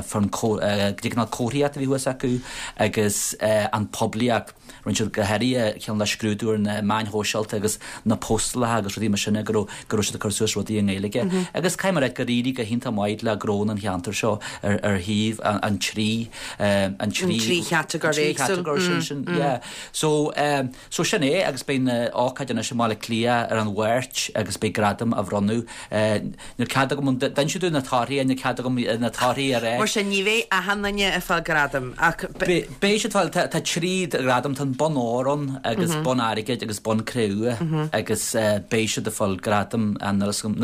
fán cineál comharthaíocht a bhí thuas acu agus an poiblíocht. Rinne siad go háirithe cineál de scrúdú ar na meáin shóisialta agus na postálacha agus rudaí mar sin go raibh go raibh siad ag cur suas rudaí i nGaeilge. Agus caithfidh mé a rá gur éirigh go hiontach maith le gnónna an cheantair seo ar ar thaobh an trí an trí chatagóir éagsúil. Trí chatagóir sin sin yeah. So so sin é agus beidh an ócáid anois i mBaile Átha Cliath ar an Mháirt agus beidh gradaim á bhronnadh. Níl cead agam an d'inis tú na torthaí, níl cead agam na torthaí a rá. Mar sin, ní bheidh achan duine ag fáil gradam ach. Beidh siad ag fáil, tá 3 ghradam, tá an bonn óir ann agus bonn airgid agus bonn cré-umha agus beidh siad ag fáil gradam, níl fhios agam,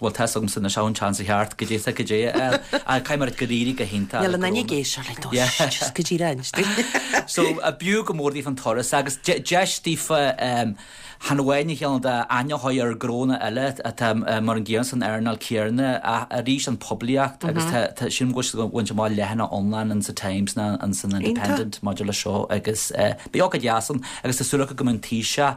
bhuel tá fhios agamsa anois, an seans a cheart, goidé tá goidé a fháil ach caithfidh mé a rá gur éirigh go hiontach Níl aon duine ag éisteacht linn, no, just go díreach inis dúinn. So, b'fhiú go mór daofa an turas agus deis daofa Chan amháin a chineál d'aithne a chur ar gnónna eile atá mar an gcéanna san earnáil céanna ach arís an poiblíocht agus tá sílim go bhfuil siad ag baint amach leathanach iomlán in sa Times ná in san Independent maidir leis seo agus beidh ócáid dheas ann agus tá súil acu go mbeidh an Taoiseach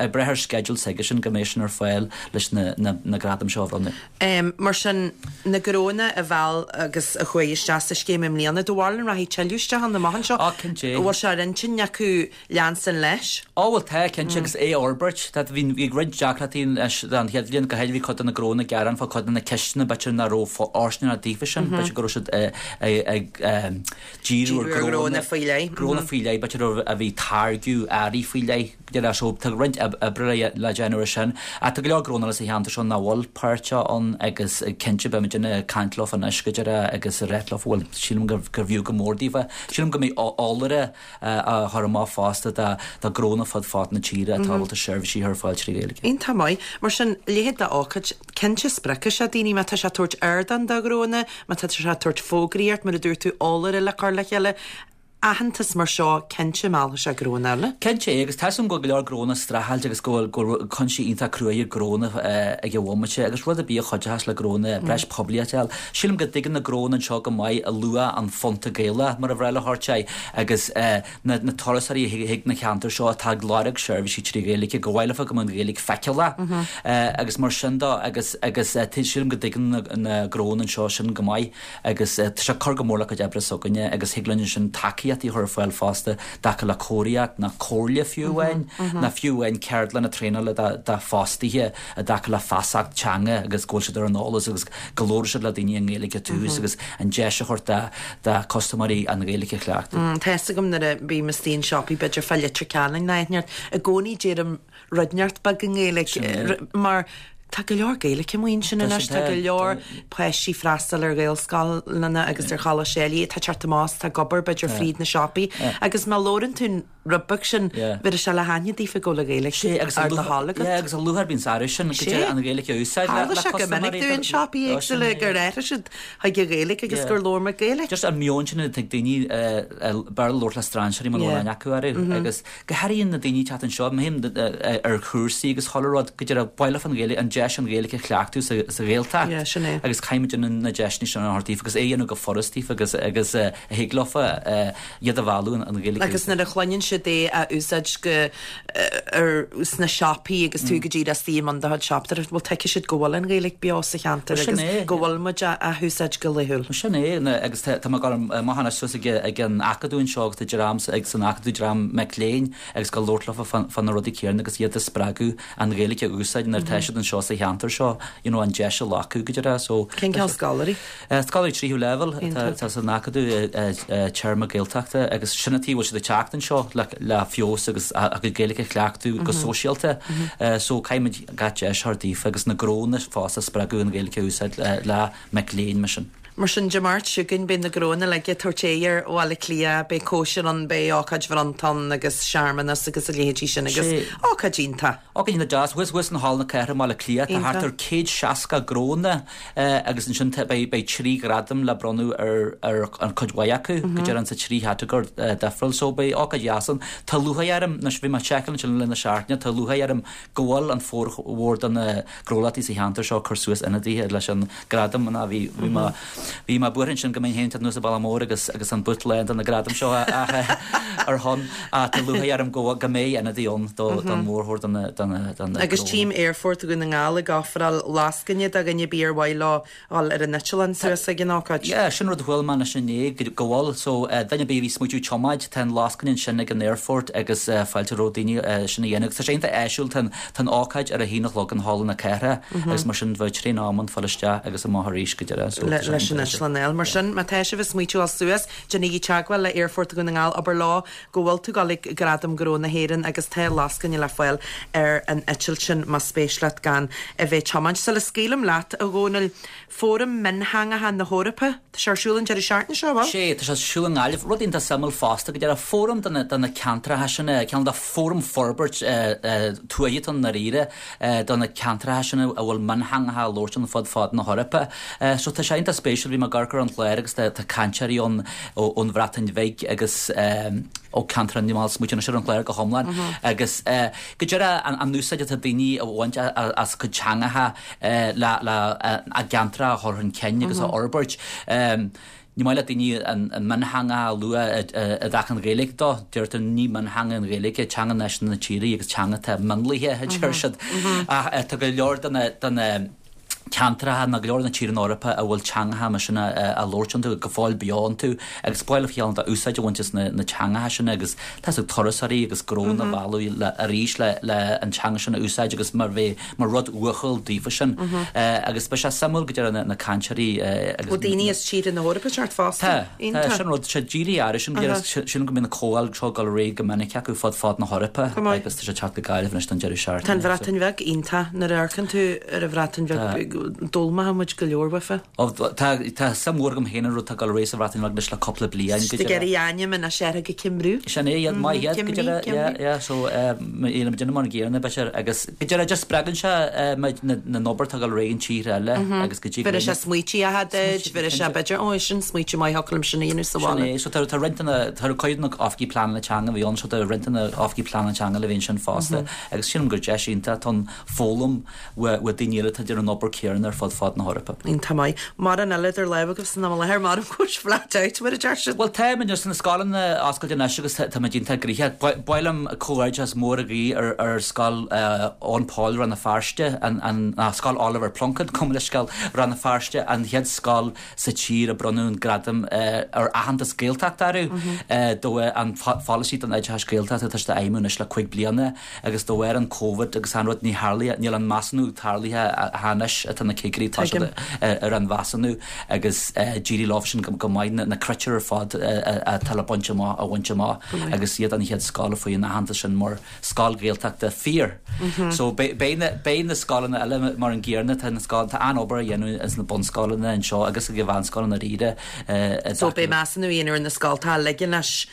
ag breith ar sceideal s'aigesean go mbeidh sin ar fáil leis na gradaim seo a bhronnadh. Mar sin, na gnónna a mheall agus a chuaigh isteach sa scéim i mbliana, do bharúil an rachaidh tuilleadh isteach ann amach anseo? Á, cinnte. Bhfuil sé ar intinn acu leanstan leis. Á bhuel tá, cinnte, agus é a fhorbairt. Tá, bhí, bhí roinnt deacrachtaí leis an chéad bhliain, go háirithe bhí cuid de na gnónna ag gearán fá cuid de na ceisteanna b'fhéidir nach raibh fóirsteanach daofa sin, b'fhéidir go raibh siad ag díriú ar gnónna faoi leith. Gnónna faoi leith, b'fhéidir a bhí ag táirgeadh earraí faoi leith, go dtí so tá roinnt oibre le déanamh ar sin. Ach tá go leor gnónna eile sa cheantar seo nach bhfuil páirteach ann agus cinnte beidh muid ag caint leofa anois go deireadh agus ag ráit leofa bhuel sílim gurbh fhiú go mór daofa. Sílim go mbeidh eolaire á chur amach fosta do ghnónna fud fad na tíre atá ábalta seirbhísí a chur ar fáil trí Ghaeilge. Iontach maith. Mar sin, leithéid d'ócáid, cinnte spreagfaidh sé daoine má tá sé ag tabhairt ardán do ghnónna, má tá sé ag tabhairt fógraíocht, mar a dúirt tú, eolaire le cur le chéile, aitheantas mar seo, cinnte meallfaidh sé gnónna eile. Cinnte é, agus tá 'fhios agam go bhfuil go leor gnónna ag streachailt agus go bhfuil go bhfuil cúinsí iontach cruaidh ag gnónna ag an bhomaite agus rud ar bith a chuideochas le gnónna breis poiblíochta a fháil. Sílim go dtuigeann na gnónna anseo go maith luach an phunta Gaelach, mar a bhreá leo a thabhairt air, agus na turasóirí a thig na ceantair seo atá ag lorg seirbhísí trí Ghaeilge, gur mhaith leofa go mbeadh an Ghaeilge feiceálach agus mar sin de agus agus sílim go dtuigeann na gnónna anseo sin go maith agus tá sé ag cur go mór le cuid oibre s'againne agus thig linn ansin tacaíochtaí a chur ar fáil fosta i dtaca le comharthaíocht ná comhairle fiú amháin ná fiú amháin ceardlanna traenála do fostaithe i dtaca le feasacht teanga agus go bhfuil siad ar an eolas agus go labhróidh siad le daoine i nGaeilge tús agus an deis a thabhairt do custaiméirí an Ghaeilge a chleachtadh. Tá fhios agam nuair a bím istigh in siopaí b'fhéidir fá Leitir Ceanainn ná áit i gcónaí deirim rud inteacht beag i nGaeilge mar tá go leor Gaeilge amuigh ansin anois, tá go leor páistí ag freastal ar Ghaelscoileanna agus ar choláistí eile atá ag teacht amach is atá ag obair b'fhéidir fríd na siopaí agus má labhrann tú rud beag sin, bheir sé le haithne daofa go bhfuil an Ghaeilge ar do thoil agat. Sea, agus a luaithe a bhíonn air sin, go dtí an Ghaeilge a úsáid le Tharla sé go minic dúinn siopaí éagsúla gur athraigh siad chuig an Ghaeilge agus gur labhair muid Gaeilge. Just an meon sin atá ag daoine Béarla a labhairt le strainséirí muna bhfuil aithne acu orthu agus go háirithe na daoine ag teacht anseo, mothaím ar chúrsaí agus chuile rud, go deireadh ba mhaith leofa an Ghaeilge, an deis an Ghaeilge a chleachtadh sa Ghaeltacht agus caithfidh muid na deiseanna sin a thabhairt daofa agus é a dhéanamh go furast daofa agus agus a thig leofa iad a mhealladh an Ghaeilge a Agus nuair a chluineann siad é á úsáid go ar sna siopaí agus tú go díreach istigh i mbun do chuid siopadóireachta, bhuel tuigfidh siad go bhfuil an Ghaeilge beo sa cheantar agus go bhfuil muid á húsáid go laethúil. Sin é, agus tá mé ag dul amach anois suas ag an Acadamh anseo agus tá dream ag san Acadamh, dream mic léinn agus ag labhairt leofa fá na rudaí céanna agus iad a spreagadh an Ghaeilge a úsáid nuair atá siad anseo sa cheantar seo, you know, an deis a ghlacadh go díreach so. Cén cineál scoláirí? Scoláirí tríú leibhéal atá san Acadamh téarma Gaeltachta agus sin an tuige a bhfuil siad ag teacht anseo le feabhas agus a gcuid Gaeilge a chleachtadh go sóisialta. So caithfimid gach deis a thabhairt daofa agus na gnónna fosta a spreagadh an Ghaeilge a úsáid le mic léinn mar sin. Mar sin, Dé Máirt seo chugainn beidh na gnónna uilig ag tabhairt aghaidh ar Bhaile Átha Cliath, beidh cóisir ann, beidh ócáid bhronnta ann agus searmanas agus a leithéidí sin agus ócáid iontach. Ócáid iontach deas. Thuas thuas in Halla na Cathrach i mBaile Átha Cliath tá thart ar 160 gnónna agus ansin beidh 3 ghradam le bronnadh ar ar cuid mhaith acu, go deimhin sa trí chatagóir difriúil. So beidh ócáid dheas ann. Tá lúcháir orm, anois bhí mé ag seiceáil ansin le linn na seachtaine, tá lúcháir orm go bhfuil an formhór de na gnólachtaí sa cheantar seo ag cur suas ionadaithe leis an gradam ná bhí bhí mé. Bhí mé buartha ansin go mbeinn féin ag teacht anuas an bealach mór agus agus an boot lán de na gradaim seo ar shon ach tá lúcháir orm go go mbeidh ionadaí ann do don mhórchuid de na de na de na Agus tchím Aerfort Dhún na nGall ag ofráil lascaine do dhuine ar bith ar mhaith leo dhul ar an eitleán suas ag an ócáid. Yeah, sin rud a chuala mé anois inné, go bhfuil. So, duine ar bith a bhí ag smaoitiú tiomáint, tá an lascaine ansin ag an aerfort agus fáilte roimh daoine sin a dhéanamh. Agus tá sé iontach áisiúil, tá an, tá an ócáid ar a haon a chlog in Halla na Cathrach agus mar sin bheadh traein am ann fáil isteach agus amach arís go deireadh. So, tá sé leis an iontach áisiúil. eitleán a fháil. Mar sin, má tá sibh ag smaoitiú dhul suas, déanaigí teagmháil le Aerfort Dhún na nGall, abair leo go bhfuil tú ag dul ag Gradaim Ghnó na hÉireann agus tá lascaine le fáil ar an eitilt sin más spéis leat gan a bheith ag tiomáint. Sula scaoilim leat, a Dhónaill, Fóram Miontheangacha na hEorpa, tá sé ar siúl an deireadh seachtaine seo, an bhfuil? Sé, tá sé ar siúl i nGaillimh. Rud iontach suimiúil fosta, go deimhin, fóram do na, do na ceantracha sin, cineál de fóram forbairt tuaithe atá ann i ndáiríre do na ceantracha sin a bhfuil miontheangacha á labhairt ann fud fad na hEorpa. So tá sé iontach spéisiúil, bhí mé ag amharc ar an chlár agus tá cainteoirí ann ón Bhreatain Bhig agus ó ceantar níl mé ag smaoitiú anois ar an chlár go hiomlán agus go deimhin an úsáid atá daoine a bhaint as cuid teangacha le a gceantracha a chur chun cinn agus a fhorbairt. Ní maith le daoine an miontheanga a lua i dtaca an Ghaeilge dó. Deirtear ní miontheanga an Ghaeilge, teanga náisiúnta na tíre í agus teanga atá mionlaithe, a deir siad. Ach tá go leor de na ceantracha nó go leor de na tíortha na hEorpa a bhfuil teangacha mar sin á labhairt iontu, go fóill beo iontu agus ba mhaith leo cineál de úsáid a bhaint as na teangacha sin agus tá 's ag turasóirí agus gnónna a mhealladh arís le an teanga sin a úsáid agus mar bheith mar rud uathúil daofa sin agus beidh sé suimiúil go deimhin na cainteoirí agus. Ó daoine as tíortha na hEorpa ag teacht fosta. Tá, tá, sin rud, sé dírithe air sin go deimhin, sin go mbíonn na comhdháil seo ag dul ar aghaidh go minic acu fud fad na hEorpa agus tá sé ag teacht go Gaillimh anois don deireadh seachtaine. Tá an Bhreatain Bheag iontach, nuair a amharcann tú ar an Bhreatain Bheag d'fhoghlaimeodh muid go leor uafa. Ó tá, tá suim mhór agam féin an rud atá ag dul ar aghaidh sa Bhreatain Bheag anois le cúpla bliain go deimhin. Ag iarraidh ainm anois uirthi go Cymru. Sin é, iad maith iad go deimhin, yeah, yeah, so níl muid mar an gcéanna b'fhéidir agus go deimhin just spreagann sé muid na an obair atá ag dul ar aghaidh in tíortha eile agus go dtí go Bheir sé smaoití acha duit, bheir sé b'fhéidir, ó sin smaoitiú maith thiocfadh liom sin a dhéanamh sa bhaile. Sin é, so tá tá roinnt de na, tá cuid de na oifigigh pleanála teanga a bhí ann, so tá roinnt de na oifigigh pleanála teanga le bheith ansin fosta agus sílim gur deis iontach atá ann foghlaim ó dhaoine eile atá ag déanamh an obair céanna ar fud fad na hEorpa. Iontach maith. Mórán eile idir lámha agaibh san am i láthair, measaim go bhfuil sibh flat out mar a deir siad. Bhuel tá muid sna scoileanna oscailte anois agus tá muid iontach gnoitheach. Ba mhaith liom comhghairdeas mór a ghuí ar ar Scoil Eoin Pól Rann na Feirste, an an Scoil Oliver Plunkett, gabh mo leithscéal, Rann na Feirste, an chéad scoil sa tír a bronnadh an gradam ar aitheantas Gaeltachta orthu do an pholasaí don oideachas Gaeltachta atá siad a fheidhmiú anois le 5 bliana. Agus de bharr an Covid agus an rud ní tharlaithe, níl an measúnú tarlaithe anois atá na cigirí, tá siad ar an mheasúnú agus d'éirigh leo sin go maith na critéir ar fad atá le baint amach a bhaint amach agus iad an chéad scoil a fuair an aitheantas sin mar scoil Ghaeltachta fíor. So beidh na beidh na scoileanna eile mar an gcéanna, tá na scoil tá an-obair á dhéanamh ins na bunscoileanna anseo agus ag an mheánscoileanna dáiríre. So beidh measúnú á dhéanamh ar na scoltacha uilig anois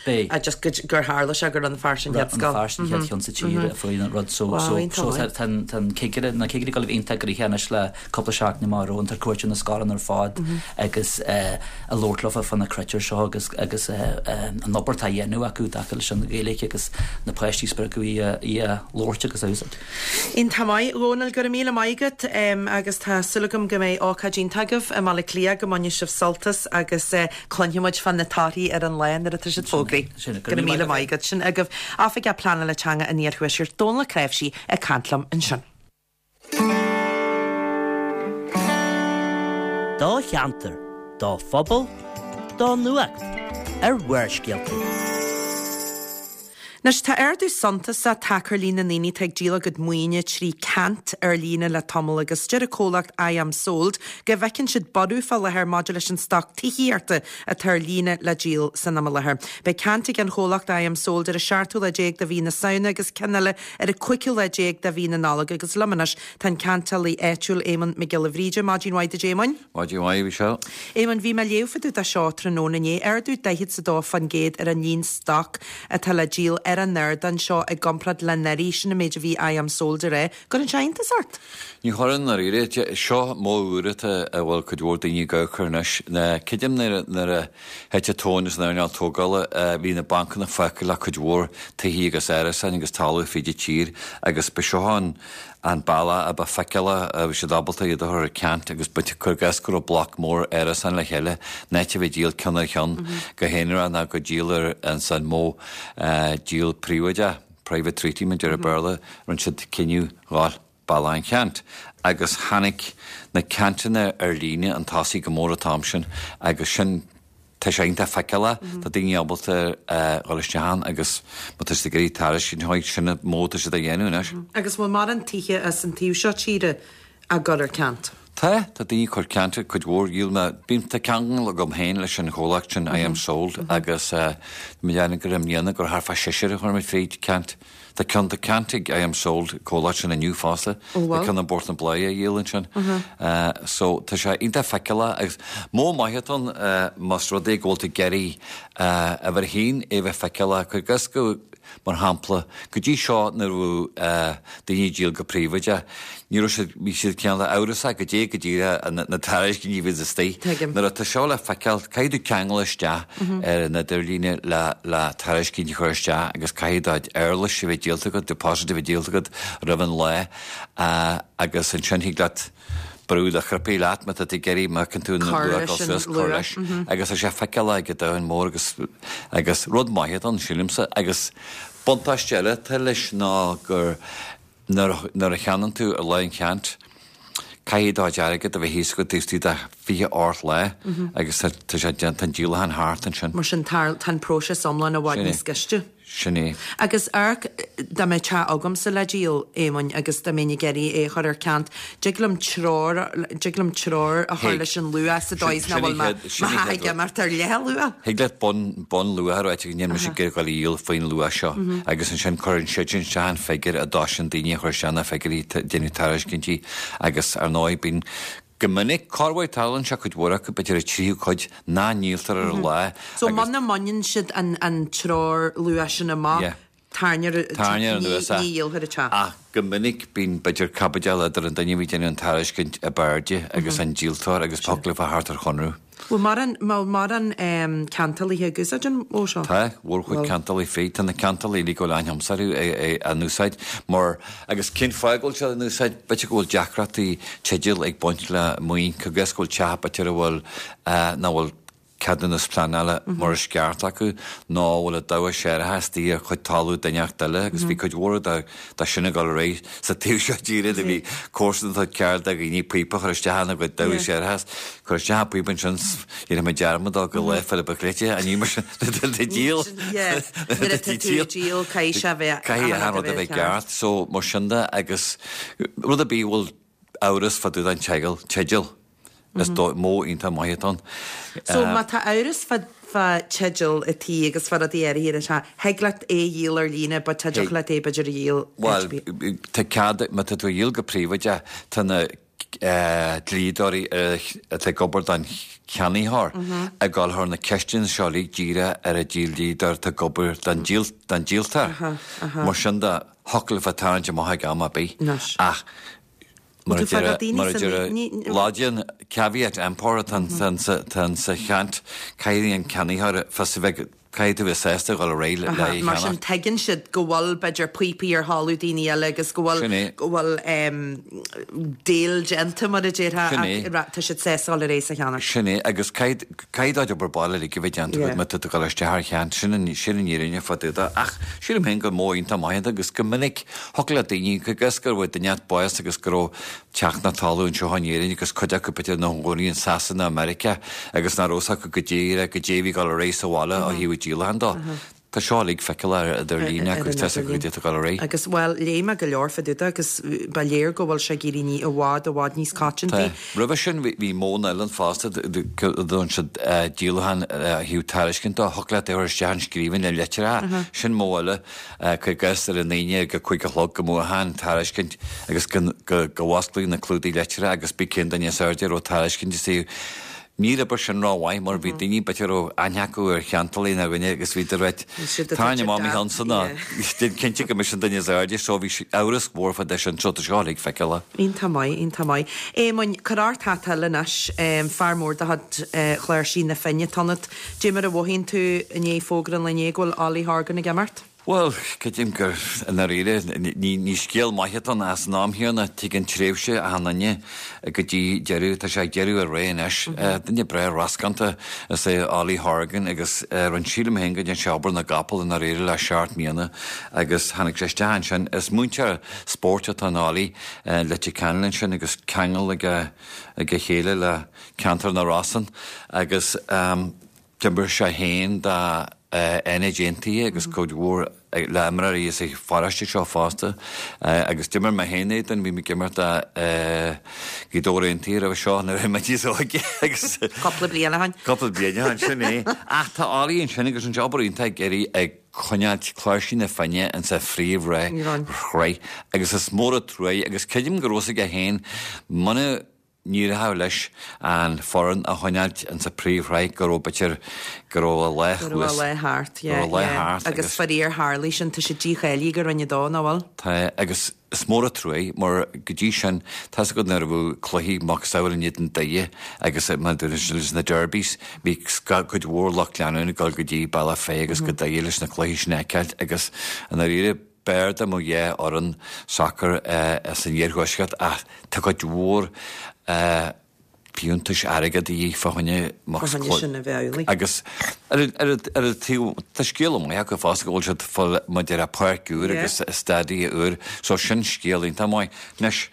just gur tharla sé gur Rann na Feirste an chéad scoil. Rann na Feirste an chéad cheann sa tír a fuair an rud so so tá an cigire na cigirí ag dul a bheith iontach gnoitheach anois le cúpla seachtain amach romhainn ag cuartú na scoileanna ar fad agus ag labhairt leofa fá na critéir seo agus agus an obair atá á dhéanamh acu i dtaca leis an Ghaeilge agus na páistí a spreagadh í a labhairt agus a úsáid. Iontach maith, Dhónaill, go raibh míle maith agat agus tá súil agam go mbeidh ócáid iontach agaibh i mBaile Átha Cliath, go mbainfidh sibh sult as agus cluinfidh muid fá na torthaí ar an lá nuair atá siad fógraithe. Go raibh míle maith agat. Sin agaibh Oifigeach Pleanála Teanga an Iarthuaiscirt, Dónall Ó Cnáimhsí ag caint liom ansin. Do cheantar, do phobal, do nuacht ar Bharrscéalta. Anois, tá ardú suntasach tagtha ar líon na ndaoine atá ag díol a gcuid maoine trí ceant ar líne le tamall agus deir an comhlacht iamsold go bhfeiceann siad borradh fá láthair maidir leis an stoc tithíochta atá ar líne le díol san am i láthair. Beidh ceant ag an chomhlacht iamsold ar an seachtú lá déag de mhí na Samhna agus ceann eile ar an cúigiú lá déag de mhí na Nollag agus liom anois tá an ceantálaí áitiúil Éamonn Mac Giolla Bhríde. Maidin mhaith duit Éamoinn. Maidin mhaith, a Mhichelle. Éamonn, bhí mé ag léamh fá dtaobh de seo tráthnóna inné. Ardú 42% ar an líon stoc atá le díol ar. ar an ardán seo i gcomparáid le anuraidh, sin an méid a bhí I Am Sold a rá. Gcuireann sé iontas ort? Ní chuireann, i ndáiríre. Seo modh úr atá a bhfuil cuid mhór daoine ag amharc air anois. Creidim nuair a thit an tóin as an earnáil tógála, bhí na bancanna fágtha le cuid mhór tithe agus árasáin agus talamh fríd an tír agus ba seo an an bealach a ba feiceálach a bhí siad ábalta iad a chur ar ceant agus ba cuir i gcás go raibh bloc mór árasán le chéile in áit a bheith ag díol ceann ar cheann go haonarach ná go díol ar an modh díol príobháideach, private treaty mar a deir an Béarla, rinne siad cinneadh dhul bealach an cheant agus tháinig na ceantanna ar líne chun tosaigh go mór an t-am sin agus sin tá sé iontach feiceálach, tá daoine ábalta dhul isteach ann agus má tá siad ag iarraidh tairiscint a thabhairt, sin an modh atá siad á dhéanamh anois. Agus bhfuil mórán tithe as an taobh seo tíre á gcur ar ceant? Tá, tá daoine ag cur ceant cuid mhór, dhíol mé, bím, tá ceangal agam féin leis an chomhlacht sin I Am Sold agus tá mé ag déanamh gur i mbliana gur thart fá seisear a chuir muid fríd ceant. Tá ceann tá ceant ag I Am Sold, comhlacht sin inniu fosta. Ó Tá bhfuil? ceann i bPort na Bláithe á dhíol ansin. So tá sé iontach feiceálach agus modh maith atá ann más rud é go bhfuil tú ag iarraidh uimhir a haon é a bheith feiceálach. Cuir i gcás go, mar shampla, go dtí seo nuair a bhí daoine ag díol go príobháideach, ní raibh siad, bhí siad cineál amhrasach goidé go díreach na tairiscintí a bhí istigh. Tuigim. Nuair atá seo le feiceáil, caithfidh tú ceangal isteach ar an idirlíne le le tairiscint a chur isteach agus caithfidh do éarlais a bheith díolta agat, deposit a bheith díolta agat roimh an lá agus ansin thig leat brú do chnaipe leat má tá tú ag iarraidh má fheiceann tú an luach dul suas, cur leis. Agus tá sé feiceálach ag an domhan mór agus agus rud maith atá ann, sílimse. Agus buntáiste eile atá leis ná gur Nuair a cheannaíonn tú ar lá an cheant, caithfidh do chuid airgead a bheith thíos agat taobh istigh de 28 lá agus tá sé déanta, tá an díolachán thart ansin. Mar sin, tá an próiseas iomlán i bhfad níos gaiste. Sin é. Agus amharc, dá mbeadh teach agamsa le díol, Éamoinn, agus dá mbeinn ag iarraidh é a chur ar ceant, dtig liom treoir, dtig liom treoir a chur leis an luach sa dóigh is nach bhfuil mo theach ag imeacht ar leathluach. Thig leat bun, bunluach a ráit níl mise ag iarraidh dul a dhíol faoin luach seo agus ansin cuireann siad sin isteach an figiúr a dtosaíonn daoine a chur isteach na figiúirí déanamh tairiscintí agus ar ndóigh bíonn go minic corruair tarlaíonn sé cuid mhór acu b'fhéidir an tríú cuid nach ndíoltar ar an lá So muna mbaineann siad an an treoir luach sin amach Tairnear anuas é. Ní dhíolfar an teach. Ach go minic bíonn b'fhéidir caibidil idir an duine a bhí ag déanamh an tairiscint ab airde agus an díoltóir agus thiocfadh leofa theacht ar chonradh. Bhfuil mórán, bhfuil mórán ceantálaithe ag úsáid an mhodh seo? Tá, mhórchuid ceantálaí fríd. Tá na ceantálaí uilig a bhfuil aithne agamsa orthu á n-úsáid mar, agus cén fáth go bhfuil siad á n-úsáid? B'fhéidir go bhfuil deacrachtaí teidil ag baint le maoin, cuir i gcás go bhfuil teach b'fhéidir a bhfuil, nach bhfuil ceadúnas pleanála mar is ceart acu nó a bhfuil a damhas séarachais istigh ar chuid talamh duine inteacht eile agus bhí cuid mhór de sin ag dul ar aghaidh sa taobh seo tíre do bhí comharsan atá ceart do dhaoine píopa a chur isteach ina gcuid damhas séarachais cur isteach an píopa ansin dhéanfaidh mé dearmad dó go Lá Fhéile Biclete an ní mar sin de díol díol caithfidh sé a bheith caithfidh achan rud a bheith ceart so mar sin de agus rud ar bith a bhfuil amhras fá dtaobh den teideal, teideal. Is dóigh, modh iontach maith atá ann. So má tá amhras fá fá teideal an tí agus fá rudaí áirithe ar an teach, thig leat é a dhíol ar líne but tá deacair leat é b'fhéidir a dhíol Bhuel, tá cead, má tá tú a dhíol go príobháideach, tá na dlíodóirí atá ag obair don cheannaitheoir ag dul thar na ceisteanna seo uilig díreach ar an dlíodóir atá ag obair don díoltóir. Mar sin de, thiocfadh leofa tarraingt amach ag am ar bith. Ach mar a deir mar a deir Laidin, caveat emptor atá ann sa cheant, caithfidh an ceannaitheoir fios a bheith, caithfidh tú bheith sásta dhul ar aghaidh le é a Mar sin cheannach. tuigeann siad go bhfuil b'fhéidir píopaí ar thalamh daoine eile agus go bhfuil Sin é. go bhfuil deal déanta mar a déarfá Sin é. ach tá siad sásta dhul ar aghaidh sa cheannach. Sin é agus caithfidh caithfidh do chuid obair baile uilig a bheith déanta agat má tá tú ag dul isteach ar cheant, sin an sin an fhírinne fá dtaobh de. Ach sílim féin gur modh iontach maith é agus go minic thiocfadh le daoine, cuir i gcás go raibh duine inteacht básta agus go raibh teach nó talamh anseo in Éirinn agus cuid acu b'fhéidir ina gcónaí in Sasana, Meiriceá agus nach raibh fhios acu go díreach goidé a bhí ag dul ar aghaidh sa bhaile ó thaobh an díolacháin dó. Tá seo uilig feiceálach ar líne agus tá fhios acu goidé atá ag dul ar aghaidh. Agus, bhuel, léigh mé go leor fá dtaobh de agus ba léir go bhfuil sé ag éirí ní i bhfad, i bhfad níos coitianta. Tá. Roimhe sin bhí modhanna eile ann fosta dúinn siad díolachán ó thaobh tairiscint dó. Thiocfadh leat é a chur isteach in scríbhinn le litreacha. Sin modh eile. Cuir i gcás ar an Aoine ag a 5 a chlog go mbuafá an tairiscint agus go bhfosclaíodh na clúdaigh litreacha agus b'é cén duine is airde a raibh tairiscint istigh. Níor oibir sin ró-mhaith mar bhí daoine b'fhéidir a raibh aithne acu ar cheantálaí nó dhuine agus bhí de reit tarraing amach mo cheannsa ná déan cinnte go mise an duine is airde so bhí amhras mhór fá dtaobh sin so tá seo uilig feiceálach. Iontach maith, iontach maith. Éamoinn, cuir ort hata eile anois, fear mór de chuid Chláirsigh na Finne atá ionat. Dé mar a mhothaíonn tú i ndiaidh fógra an lae inné go bhfuil Ollie Horgan ag imeacht? Bhuel, creidim gur, i ndáiríre, ní scéal maith atá ann ach san am chéanna, tuigeann tréimhse achan duine go dtí deireadh, tá sé ag deireadh a ré anois. Duine breá rascánta is ea Ollie Horgan agus rinne, sílim féin go ndearna sé obair na gcapall i ndáiríre le seacht mbliana agus tháinig sé isteach ansin. Is múinteoir spóirt atá in Ollie, Leitir Ceanainn ansin agus ceangal ag a chéile le ceantar na Rosann agus. D'imir sé féin do Fhánaid Aontaithe agus cuid mhór le imreoirí as an pharóiste seo fosta agus d'imir mé féin éadan, bhí mé ag imirt do Ghaoth Dobhair Aontaithe roimhe seo nuair a bhí mé níos óige agus Cúpla bliain ó shin. Cúpla bliain ó shin, sin é. Ach tá Ollie ansin agus rinne sé obair iontach ag iarraidh ag coinneáilt Cláirsigh na Finne insa phríomhshraith agus is mór an truaigh agus creidim go raibh fhios aige féin muna n-éireodh leis an foireann a choinneáilt insa príomhshraith go raibh b'fhéidir go raibh a lá Go raibh a lá thart, yeah, go raibh a lá yeah. thart Agus agus faraor tharlaigh sin, tá sé dícháilithe go Roinn 2, nach bhfuil? Tá, agus is mór an truaigh mar go dtí sin, tá's agat nuair a bheadh cluichí macasamhail in éadan Doire agus mar a dúirt leis na derbies, bhí cuid mhór lucht leanúna ag dul go dtí Bealach Féich agus go Doire leis na cluichí sin a fheiceáilt agus i ndáiríre, B'fhearr dá mbeadh dhá fhoireann sacair san iarthuaisceart ach tá cuid mhór fiúntais airgid de dhíth fá choinne Fá choinne sin a bheith amhlaidh. Agus ar an taobh, tá scéala maith acu fosta go bhfuil siad fáil maidir le páirc úr agus stadia úr so sin scéal iontach maith. Anois.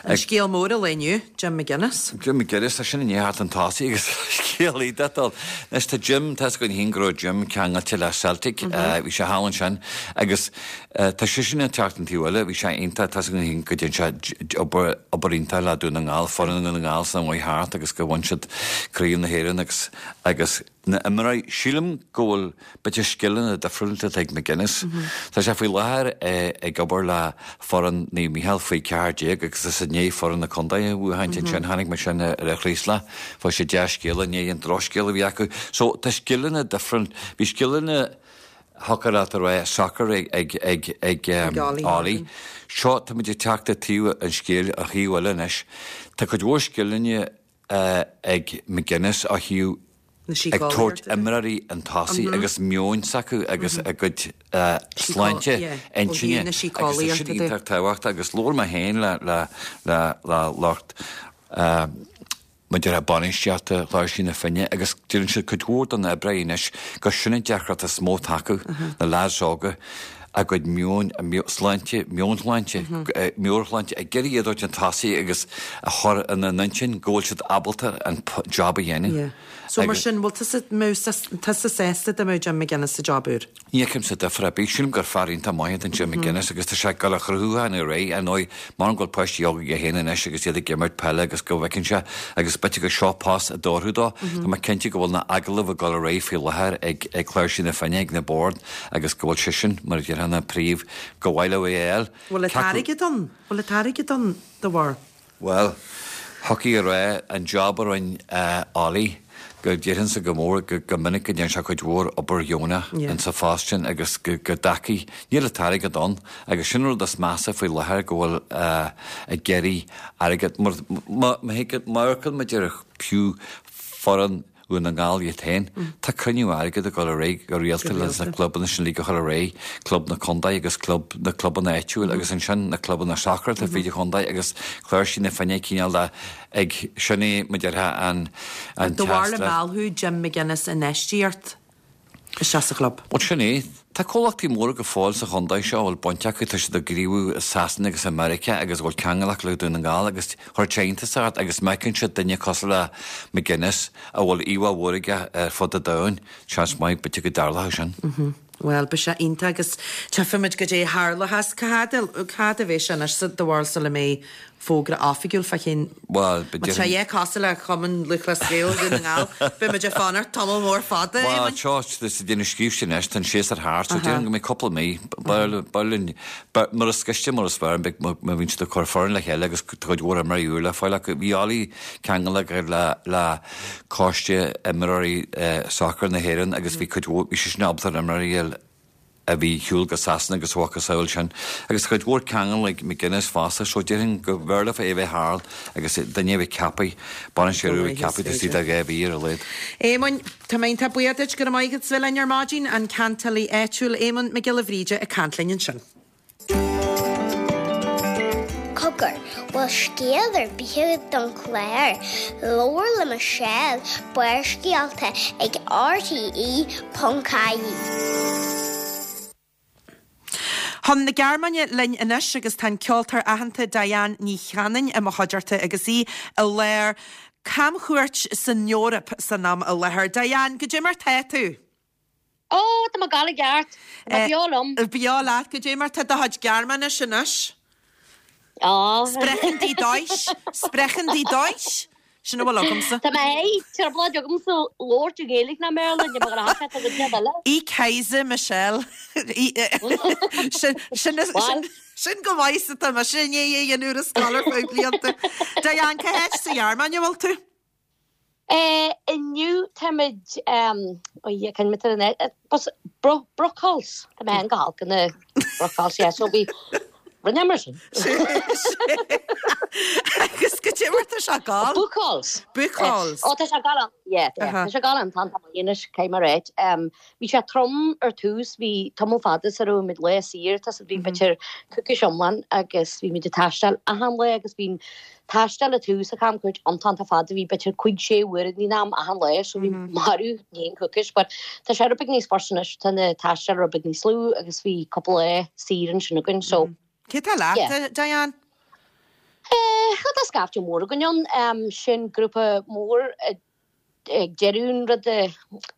An scéal mór an lae inniu, Jim McGuinness. Jim McGuinness, tá sin i ndiaidh theacht chun tosaigh agus scéal iontach dul. Anois tá Jim, tá's againn féin go raibh Jim ceangailte le Celtic, bhí sé thall ansin agus tá seisean ag teacht an taobh eile, bhí sé iontach, tá's againn féin go dtearn sé obair, obair iontach le Dún na nGall, foireann Dhún na nGall san am a chuaigh thart agus go bhain siad Craobh na hÉireann agus, agus. na imreoirí. Sílim go bhfuil b'fhéidir scileanna difriúla atá ag McGuinness. Tá sé faoi láthair ag obair le foireann Naomh Mícheál faoi 14 agus is i ndiaidh foireann na contae a bhuachaint ansin. Chonaic mé sin ar an Chraoslach. Fuair sé dea-scéala i ndiaidh an drochscéal a bhí acu. So tá scileanna difriúil. Bhí scileanna thiocfadh leat a rá sacair ag ag ag Ollie. Seo táimid ag teacht ar taobh an scéil, an thaobh eile anois. Tá cuid mhór scileanna ag McGuinness ó thaobh ag tabhairt imreoirí chun tosaigh agus meoin s'acu agus a gcuid sláinte intinne agus tá sin iontach tábhachtach agus labhair mé féin le lucht maidir le bainistíochta Chláirsigh na Finne agus deireann siad cuid mhór den oibre anois gur sin an deacracht is mó atá acu, na lads óga. a gcuid meoin, a sláinte, meonshláinte, meabhairshláinte, ag iarraidh iad a thabhairt chun tosaigh agus a chur ina n-intinn go bhfuil siad ábalta an job a dhéanamh. Yeah. So mar sin, bhfuil tusa, mbeadh tusa sásta dá mbeadh Jim McGuinness sa job úr? Ní fheicimse difear ar bith. Sílim gur fear iontach maith é Jim McGuinness agus tá sé ag dul a chruthú ar aghaidh. Ar ndóigh, mar go bhfuil páistí óga aige féin anois agus iad ag imirt peile agus go bhfeiceann sé agus b'fhéidir gur seo post a d'oirfeadh dó. Tá mé cinnte go bhfuil na agallaimh ag dul ar aghaidh faoi láthair ag Cláirsigh na Finne ag na boird agus go bhfuil seisean, mar a déarfá, ina phríomh, gur mhaith leo é a fháil. Bhfuil an t-airgead ann? Bhfuil an t-airgead ann dá bharr? Bhuel, thiocfaí a rá, an job a rinne Ollie, go déarfainnse go mór, go minic go ndearna sé cuid mhór obair dheonach insa phost sin agus go dtacaigh, níl an t-airgead ann agus sin an rud is measa faoi láthair go bhfuil ag iarraidh airgead, mar má amharcann muid ar fiú foireann Dhún na nGall iad féin. Tá cruinniú airgid ag dul ar aghaidh go rialta leis na clubanna sin uilig a chur ar aghaidh, club na contae agus club na clubanna áitiúil agus ansin na clubanna sacair atá fríd an chontae agus Cláirsigh na Finne cineál de ag sin é mar a déarfá an an Do bharr le teastas. meallfadh Jim McGuinness infheistíocht isteach sa chlub. Bhuel sin é. Tá comhlachtaí móra go fóill sa chontae seo a bhfuil baint acu, tá siad ag gníomhú i Sasana agus i Meiriceá agus a bhfuil ceangal acu le Dún na nGall agus chuirfeadh sé iontas ort agus má fheiceann siad duine cosúil le McGuinness a bhfuil íomhá mhór aige ar fud an domhain, seans maith b'fhéidir go dtarlódh sin. Bhuel, beidh sé iontach agus tchífimid goidé a tharlóchas. Cá fhad, cá fhad a bheidh sé anois do bharúil sula mbeidh fógra oifigiúil fá choinne. Bhuel, Má tá sé cosúil le Cumann Lúthchleas Gael Dhún na nGall, beidh muid ag fanacht tamall mór fada, Bhuel, seo, tá siad ag déanamh scríobh anois, tá an séasúr thart, so déarfainn go mbeidh cúpla mí, b'fhearr linn, mura is gaiste mar is fearr, beidh, má bhíonn siad ag cur foireann le chéile agus tá cuid mhór imreoirí úr le fáil acu. Bhí Ollie ceangail le, le coiste imreoirí sacair na hÉireann agus bhí cuid mhór, bhí seisean ábalta ar imreoirí a a bhí ar shiúl go Sasana agus a mhacasamhail sin. Agus tá cuid mhór ceangal ag McGuinness fosta so déarfainn go mb'fhearr leofa é a bheith thall agus duine a bheith ceaptha, bainisteoir úr a bheith ceaptha taobh istigh de 2 mhí ar a laghad. Éamoinn, tá mé iontach buíoch duit, go raibh maith agat as bheith linn ar maidin, an ceantálaí áitiúil Éamonn Mac Giolla Bhríde ag caint linn ansin. Cogar, bhfuil scéal ar bith agat don chlár? Labhair le Michelle, Barrscéalta ag RTE.ie. Chun na Gearmáine linn anois agus tá an ceoltóir aitheanta Diane Ní Chanainn i mo chuideachta agus í i lár camchuairt san Eoraip san am i láthair. Diane, goidé mar tá tú? Ó, tá mé ag gabháil i gceart. Tá mé beo liom. Beo leat. Goidé mar tá do chuid Gearmáinis anois? Ó. Sprechen die Deutsch? Sprechen die Deutsch? Sin a bhfuil agamsa. Tá mé i dtrioblóid agamsa labhairt i nGaeilge ná mBéarla, ní bheadh rath agat ar an eile. Ich heiße Michelle. Sin, sin, sin, sin go maith is atá mise i ndiaidh é a dhéanamh ar an scoil ar feadh blianta. Diane, cá háit sa Ghearmáin a bhfuil tú? Inniu táimid, ó yeah, can mé an bus Buchholz, tá mé go holc in Buchholz, yeah, so bhí rinne mar sin. Agus goidé mar tá sé ag gabháil? Buchholz. Buchholz. Ó tá sé ag gabháil, yeah, tá sé ag gabháil an t-am anois, caithfidh mé a ráit. Bhí sé trom ar tús, bhí tamall fada sara raibh muid lá saor, tá bhí b'fhéidir coicís iomlán agus bhí muid ag taisteal achan lá agus bhí an taisteal ag tús an chamchuairt iontach iontach fada, bhí b'fhéidir cúig sé uair in am achan lá so bhí marbh i ndiaidh an coicís but tá sé rud beag níos fusa anois, tá na taisteal rud beag níos lú agus bhí cúpla lá saor ansin againn so Cé tá leat, Diane? Eh, tá scaifte mór againn ann, sin grúpa mór ag deireadh an ruda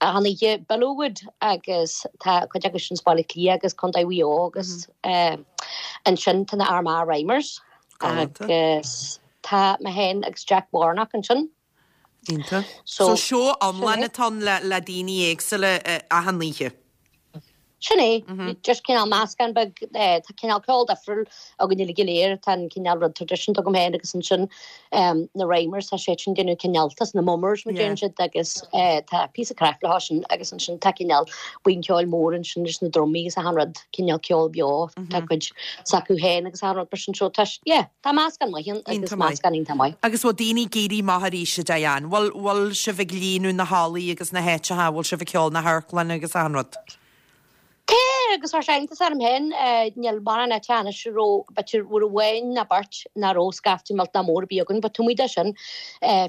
achan oíche Billowwood agus tá cuid acu sin as Baile Átha Cliath agus Contae Mhaigh Eo agus ansin tá na Armagh Rhymers agus tá mé féin agus Jack Warnock ansin. Iontach. So seó iomlán atá ann le daoine éagsúla achan oíche. Sin é. Just cineál meascán beag, tá cineál ceol difriúil againn uilig go léir, tá an cineál rud traidisiúnta agam féin agus ansin na Rhymers, tá siad sin ag déanamh cineál, tá na Mummers mar deireann siad agus tá píosa craic leo sin agus ansin tá cineál buíon ceoil mór ansin leis na drumaí agus achan rud, cineál ceol beo, tá cuid s'acu féin agus achan rud mar sin so tá, yeah, tá meascán maith ann agus meascán iontach maith. Agus bhfuil daoine ag éirí amach arís, a Diane? Bhfuil, bhfuil sibh ag líonadh na hallaí agus na háiteacha, bhfuil sibh ag ceol na hamharclanna agus achan rud? Tá, agus tá sé iontach orm féin, níl mórán áite anois a raibh, b'fhéidir, uair amháin ná beirt nach raibh scaifte millteanach mór ar bith againn, but taobh amuigh de sin,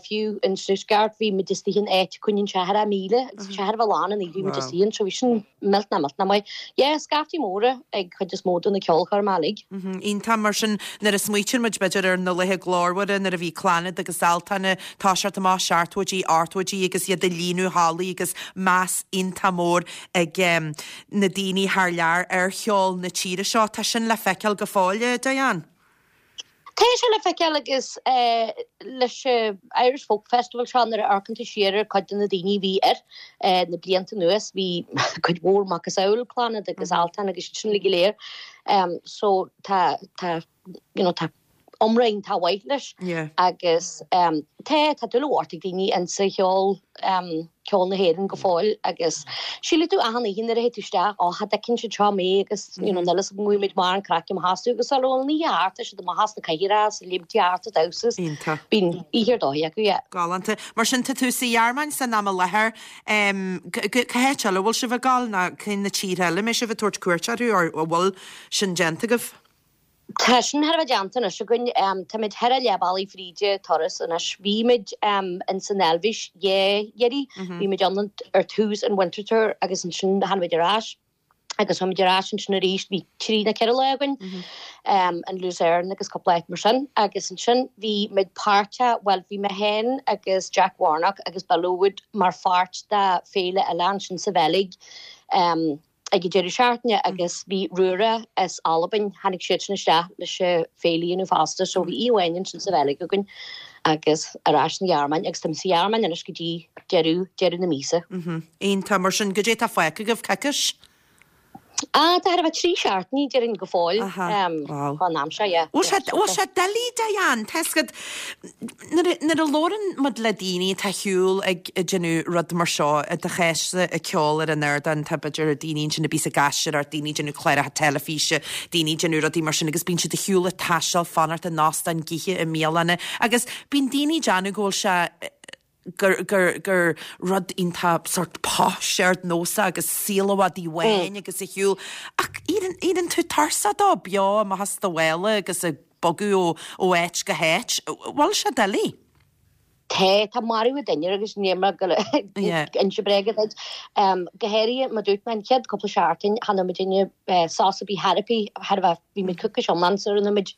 fiú in Stuttgart, bhí muid istigh in áit a coinníonn 70,000 agus bhí sé thar a bheith lán an oíche bhí muid istigh ann, so bhí sin millteanach, millteanach maith. Yeah, scaifte móra ag cuid is mó de na ceolchoirmeacha uilig. Iontach, mar sin, nuair a smaoitíonn muid, b'fhéidir, ar na laetha glórmhara nuair a bhí Clannad agus Altan ag toiseacht amach, seachtóidí, ochtóidí agus iad ag líonadh hallaí agus meas iontach mór ag na daoine thar lear ar cheol na tíre seo. Tá sin le feiceáil go fóill, a Diane. Tá sé le feiceáil agus leis an Irish Folk Festival seo nuair a amharcann tú siar ar cuid de na daoine a bhí air na blianta anuas bhí cuid mhór macasamhail Clannad agus Altan agus iad sin uilig go léir. So tá tá you know tá iomrá iontach mhaith leis agus tá tá dúil mhór ag daoine insa cheol ceol na hÉireann go fóill agus sílfidh tú achan oíche nuair a théid tú isteach ó cha dtuigeann siad seo mé agus you know níl fhios agam bhfuil muid mar an craic amach astu agus sula bhfuil an oíche thart tá siad amach as na cathaoireacha is léimtí thart ag damhsa is bíonn oíche ar dóigh acu yeah. Galánta. Mar sin tá tú sa Ghearmáin san am i láthair. Cá háit eile a bhfuil sibh ag gabháil nó cé na tíortha eile a mbeidh sibh ag tabhairt cuairt orthu or a bhfuil sin déanta agaibh? Tá sin thar a bheith déanta anois againn. Táimid thar a leath bealaigh fríd an turas anois. Bhí muid ins an Eilvéis dhá iarraidh. Bhí muid ann ar tús an Winterthur agus ansin tháinig muid ar ais agus chuaigh muid ar ais ansin arís. Bhí trí nó ceithre lá againn in Lucerne agus cúpla áit mar sin. Agus ansin bhí muid páirteach, bhuel bhí mé féin agus Jack Warnock agus Bill O'Wood mar pháirt de féile eile ansin sa Bheilg. Ag an deireadh seachtaine agus bhí Rura as Albain, tháinig siad sin isteach leis an féile a dhéanamh fosta so bhí oíche amháin ansin sa Bheilg againn agus ar ais sa Ghearmáin agus táim sa Ghearmáin anois go dtí deireadh, deireadh na míosa. Iontach, mar sin, goidé tá fágtha agaibh, coicís? Ah, tá thart ar 3 seachtainí déarfainn go fóill. Aha, wow. Fán am seo, yeah. Bhfuil sé, bhfuil sé doiligh, Diane, tá 'fhios agat, nuair a, nuair a labhrann muid le daoine atá ar shiúl ag déanamh rud mar seo, i do chás-sa ag ceol ar an ardán, tá b'fhéidir daoine ansin a bíos ag aisteoireacht, daoine ag déanamh cláracha teilifíse, daoine ag déanamh rudaí mar sin agus bíonn siad ar shiúl ag taisteal, fanacht in óstáin, ag ithe i mbialanna agus bíonn daoine ag déanamh go bhfuil sé, gur, gur, gur rud iontach sórt posh ardnósach agus saol i bhfad amháin agus ar shiúl. Ach éiríonn, éiríonn tú tuirseach dó, beo amach as do mhála agus ag bogadh ó, ó áit go háit. Bhfuil sé doiligh? Tá, tá marú an duine agus níl mé ag goil ag inse bréige duit. Go háirithe, mar dúirt mé, an chéad cúpla seachtain, chan fhuair muidinne sos ar bith, chor ar bith, char bheith, bhí muid coicís iomlán sar a rinne muid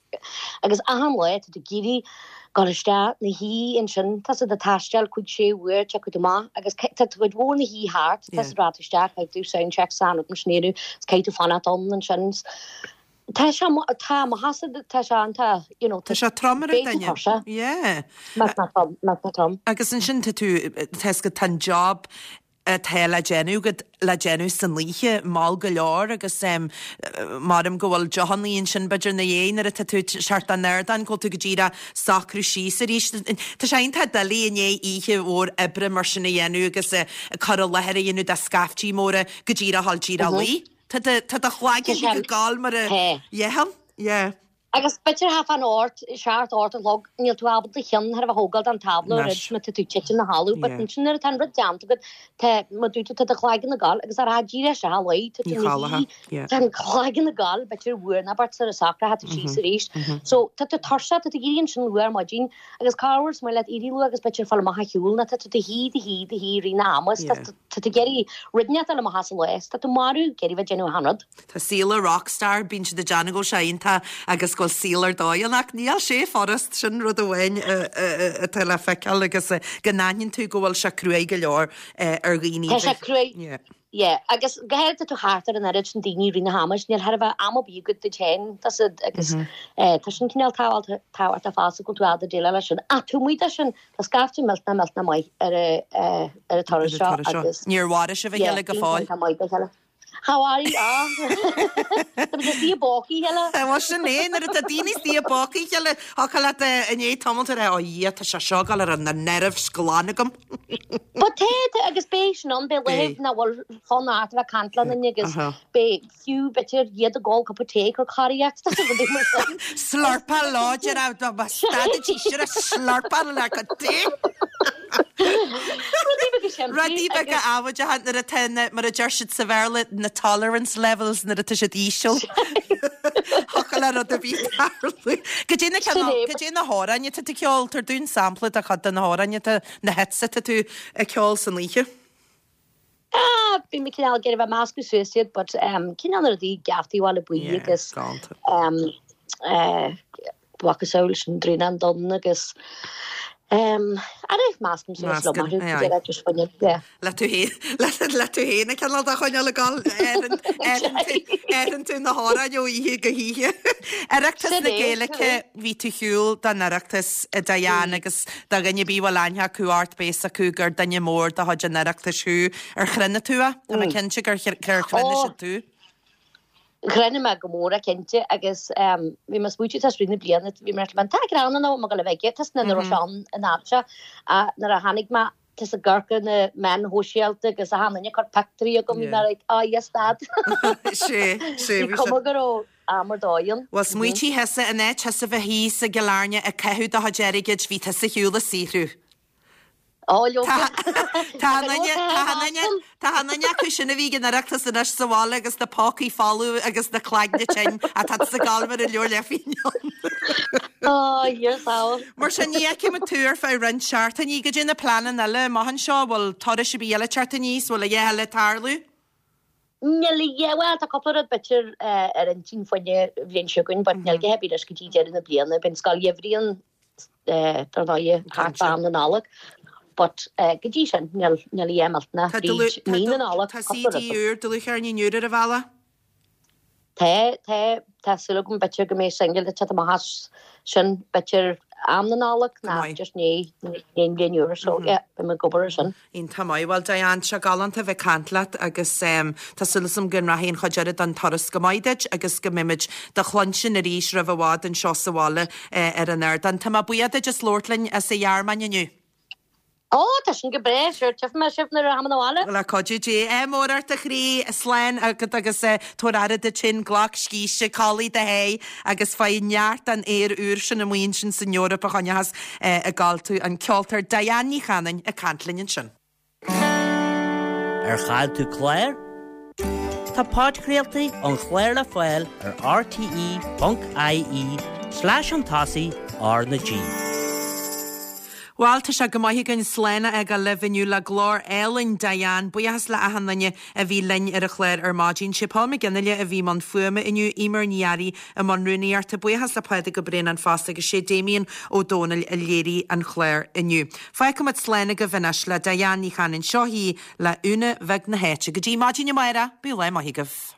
agus achan lá tá tú ag iarraidh Dul isteach 'na shuí ansin, tá siad ag taisteal cúig sé uair, tiocfaidh tú amach agus tá cuid mhór na hoíche thart, tá siad ag rá isteach, caithfidh tú sound check san rud mar sin a dhéanamh, is caithfidh tú fanacht ann ansin. Tá sé, tá, má tá siad, tá sé an, tá, you know, Tá sé trom ar an beidh tú duine. tuirseach. Yeah. Má tá trom, má tá trom. Agus ansin tá tú, tá 'fhios agat, tá an job atá le déanamh agat le déanamh san oíche, mall go leor agus maram go bhfuil deochannaí ansin b'fhéidir ina dhiaidh nuair atá tú ag teacht den ardán, go bhfuil tú go díreach socrú síos arís. Tá sé iontach doiligh i ndiaidh oíche mhór oibre mar sin a dhéanamh agus cur i láthair a dhéanamh do scaiftí móra go díreach dhul díreach a luí. Tá do chloigeann ag gabháil mar a dheathail. Yeah. Agus b'fhéidir thart fán ocht, seacht, ocht a chlog, níl tú ábalta do cheann chor ar bith a thógáil den tábla Anois. roimh má tá tú titim 'na chodladh, but Yeah. ansin nuair atá an rud déanta agat, tá, mar dúirt tú, tá do chloigeann ag gabháil agus ar a díreach isteach a luí, tá tú Ní ina chodlófá, shuí, yeah. tá an cloigeann ag gabháil, b'fhéidir uair nó beirt sar a socrófá tú síos arís. So, tá tú tuirseach, tá tú ag éirí ansin luath ar maidin agus corruair is maith leat éirí luath agus b'fhéidir fáil amach ar shiúl nó tá tú do shuí, do shuí, do shuí i rith na hama, is tá Yeah. tá tú ag iarraidh rud inteacht a fháil amach as an lá, is tá tú marbh ag iarraidh bheith ag déanamh achan rud. Tá saol a rockstar, bíonn siad ag déanamh go bhfuil sé iontach agus go bhfuil saol ar dóigh ann ach níl sé furast, sin rud amháin atá le feiceáil agus go n-aithníonn tú go bhfuil sé cruaidh go leor ar dhaoine. Tá sé cruaidh, yeah, agus go háirithe tá tú thart ar an oiread sin daoine i rith na hama, níl chor ar bith am ar bith agat duit féin, tá siad agus tá sin cineál tábhachtach fosta go bhfuil tú ábalta déileáil leis sin. Ach taobh amuigh de sin, tá scaifte millteanach millteanach maith ar an turas seo agus. Níor mharaigh sibh a chéile go fóill? Yeah, maith dá chéile. How are you? Ah. Tá muid istigh i bpócaí a chéile. Bhuel sin é, nuair atá daoine istigh i bpócaí a chéile, thiocfadh leat i ndiaidh tamaill a rá, ó Dhia, tá sé seo ag dul ar na nerves glan agam. But tá, tá, agus beidh sin ann, beidh Beidh. laethe nach bhfuil fonn ort a bheith ag caint le duine agus beidh fiú b'fhéidir iad ag ól cupa tae ag cur cóiríocht, tá rudaí mar sin. Slurpáil láidir, stadaidís ar a slurpáil le cup tae. Rudaí beaga simplí Rudaí beaga agus. amhaideacha nuair atá na, mar a deir siad sa Bhéarla, na tolerance levels nuair atá siad íseal. Thiocfadh le rud ar bith tarlú. Goidé na Sin cineál, é. goidé na hamhráin atá tú ag ceol, tabhair dúinn sampla de chuid de na hamhráin atá, na hits atá tú ag ceol san oíche. Ah, bhí mé cineál ag iarraidh bheith ag meascadh suas iad but um, cineál na rudaí Geaftaí Bhaile Buí Yeah, agus galánta. um, eh, macasamhail sin Drúnán Donn agus um, ara meascaim suas liom Meascann, orthu, aye, aye. go deireadh just fuinneamh, yeah. Le tú féin, le, le tú féin a cineál de choinneáil ag dul, aithreann tú na hamhráin ó oíche go hoíche. Oireachtas Sin na é, sin Gaeilge, é. bhí tú ar shiúl don Oireachtas a Diane agus do dhuine ar bith a bhfuil aithne acu ort beidh fhios acu gur duine mór de chuid an Oireachtais thú. Ar chronaigh tú é? Tá mé cinnte gur chronaigh Ó. siad tú. Chronaigh mé go mór é cinnte agus bhí mé ag smaoitiú tá rith na bliana bhí mé ar tá greann ann mo go le bheith aige tá na raibh sé ann in am seo nuair a tháinig mé tá sa gcorc ar na meáin shóisialta agus achan duine ag cur pictiúirí agam bhí mé like oh yes dad. Sé, sé, Bhí cuma go raibh am ar dóigh ann. Bhuel smaoitigh thusa in áit thusa bheith thíos i gCill Airne ag caitheamh do chuid airgid bhí tusa ar shiúl ag saothrú. Ó, leoga. Tá an duine, tá an duine, tá an duine acu sin a bhí ag an Oireachtas anois sa bhaile agus na pócaí folamh agus na cloigne tinn atá sa gcalm ar an leabhar le fíneán. Ó, Dhia sábháil. Mar sin, ní fheicfidh muid tú ar feadh roinnt seachtainí. Goidé na pleananna eile amach anseo? Bhfuil turais ar bith eile ag teacht aníos? Bhfuil a dhath eile ag tarlú? Níl a dhath, bhuel, tá cúpla rud b'fhéidir ar intinn fá choinne an bhliain seo chugainn, but níl a dhath ar bith anois go dtí deireadh na bliana. Beidh an scoil gheimhridh ann dar ndóigh thart fá am na Nollag. But go dtí sin, níl a dhath millteanach fríd mí na Nollag. Tá CD úr, dlúthcheirnín úr ar an bhealach? Tá, tá, tá súil agam b'fhéidir go mbeidh singil ag teacht amach as sin b'fhéidir am na Nollag nó just i ndiaidh an bhliain úr so yeah, beidh mé ag obair ar sin. Iontach maith. Bhuel Diane, tá sé galánta a bheith ag caint leat agus tá súil agam go rachaidh an chuid eile den turas go maith duit agus go mbeimid do chluinstin arís roimh i bhfad anseo sa bhaile ar an ardán. Tá mé buíoch duit as labhairt linn as an Ghearmáin inniu. Ó, tá sin go breá, sure, tchífidh mé sibh nuair a tháim 'na bhaile. Le cuidiú Dé. Ádh mór ort a chroí, slán agat agus tabhair aire duit féin, glac scíste, codlaigh do sháith agus faigh neart den aer úr sin amuigh ansin san Eoraip a choinneochas ag gabháil tú. An ceoltóir Diane Ní Chanainn ag caint linn ansin. Ar chaill tú clár? Tá podchraoltaí an chláir le fáil ar rte.ie slash chun tosaigh R na G. Bhuel, tá sé go maith againn slán a fhágáil libh inniu le glór álainn Diane. Buíochas le achan duine a bhí linn ar an chlár ar maidin. Sé Paul McGinley a bhí i mbun fuaime inniu, Eimear Ní Fhearraigh i mbun rúnaíochta. Buíochas le Pádraig Ó Braonáin fosta agus sé Damien Ó Dónaill a léirigh an clár inniu. Fágfaimid slán agaibh anois le Diane Ní Chanainn. Seo í le Úna Bheag na hÁite. Go dtí maidin amárach, bíodh lá maith agaibh.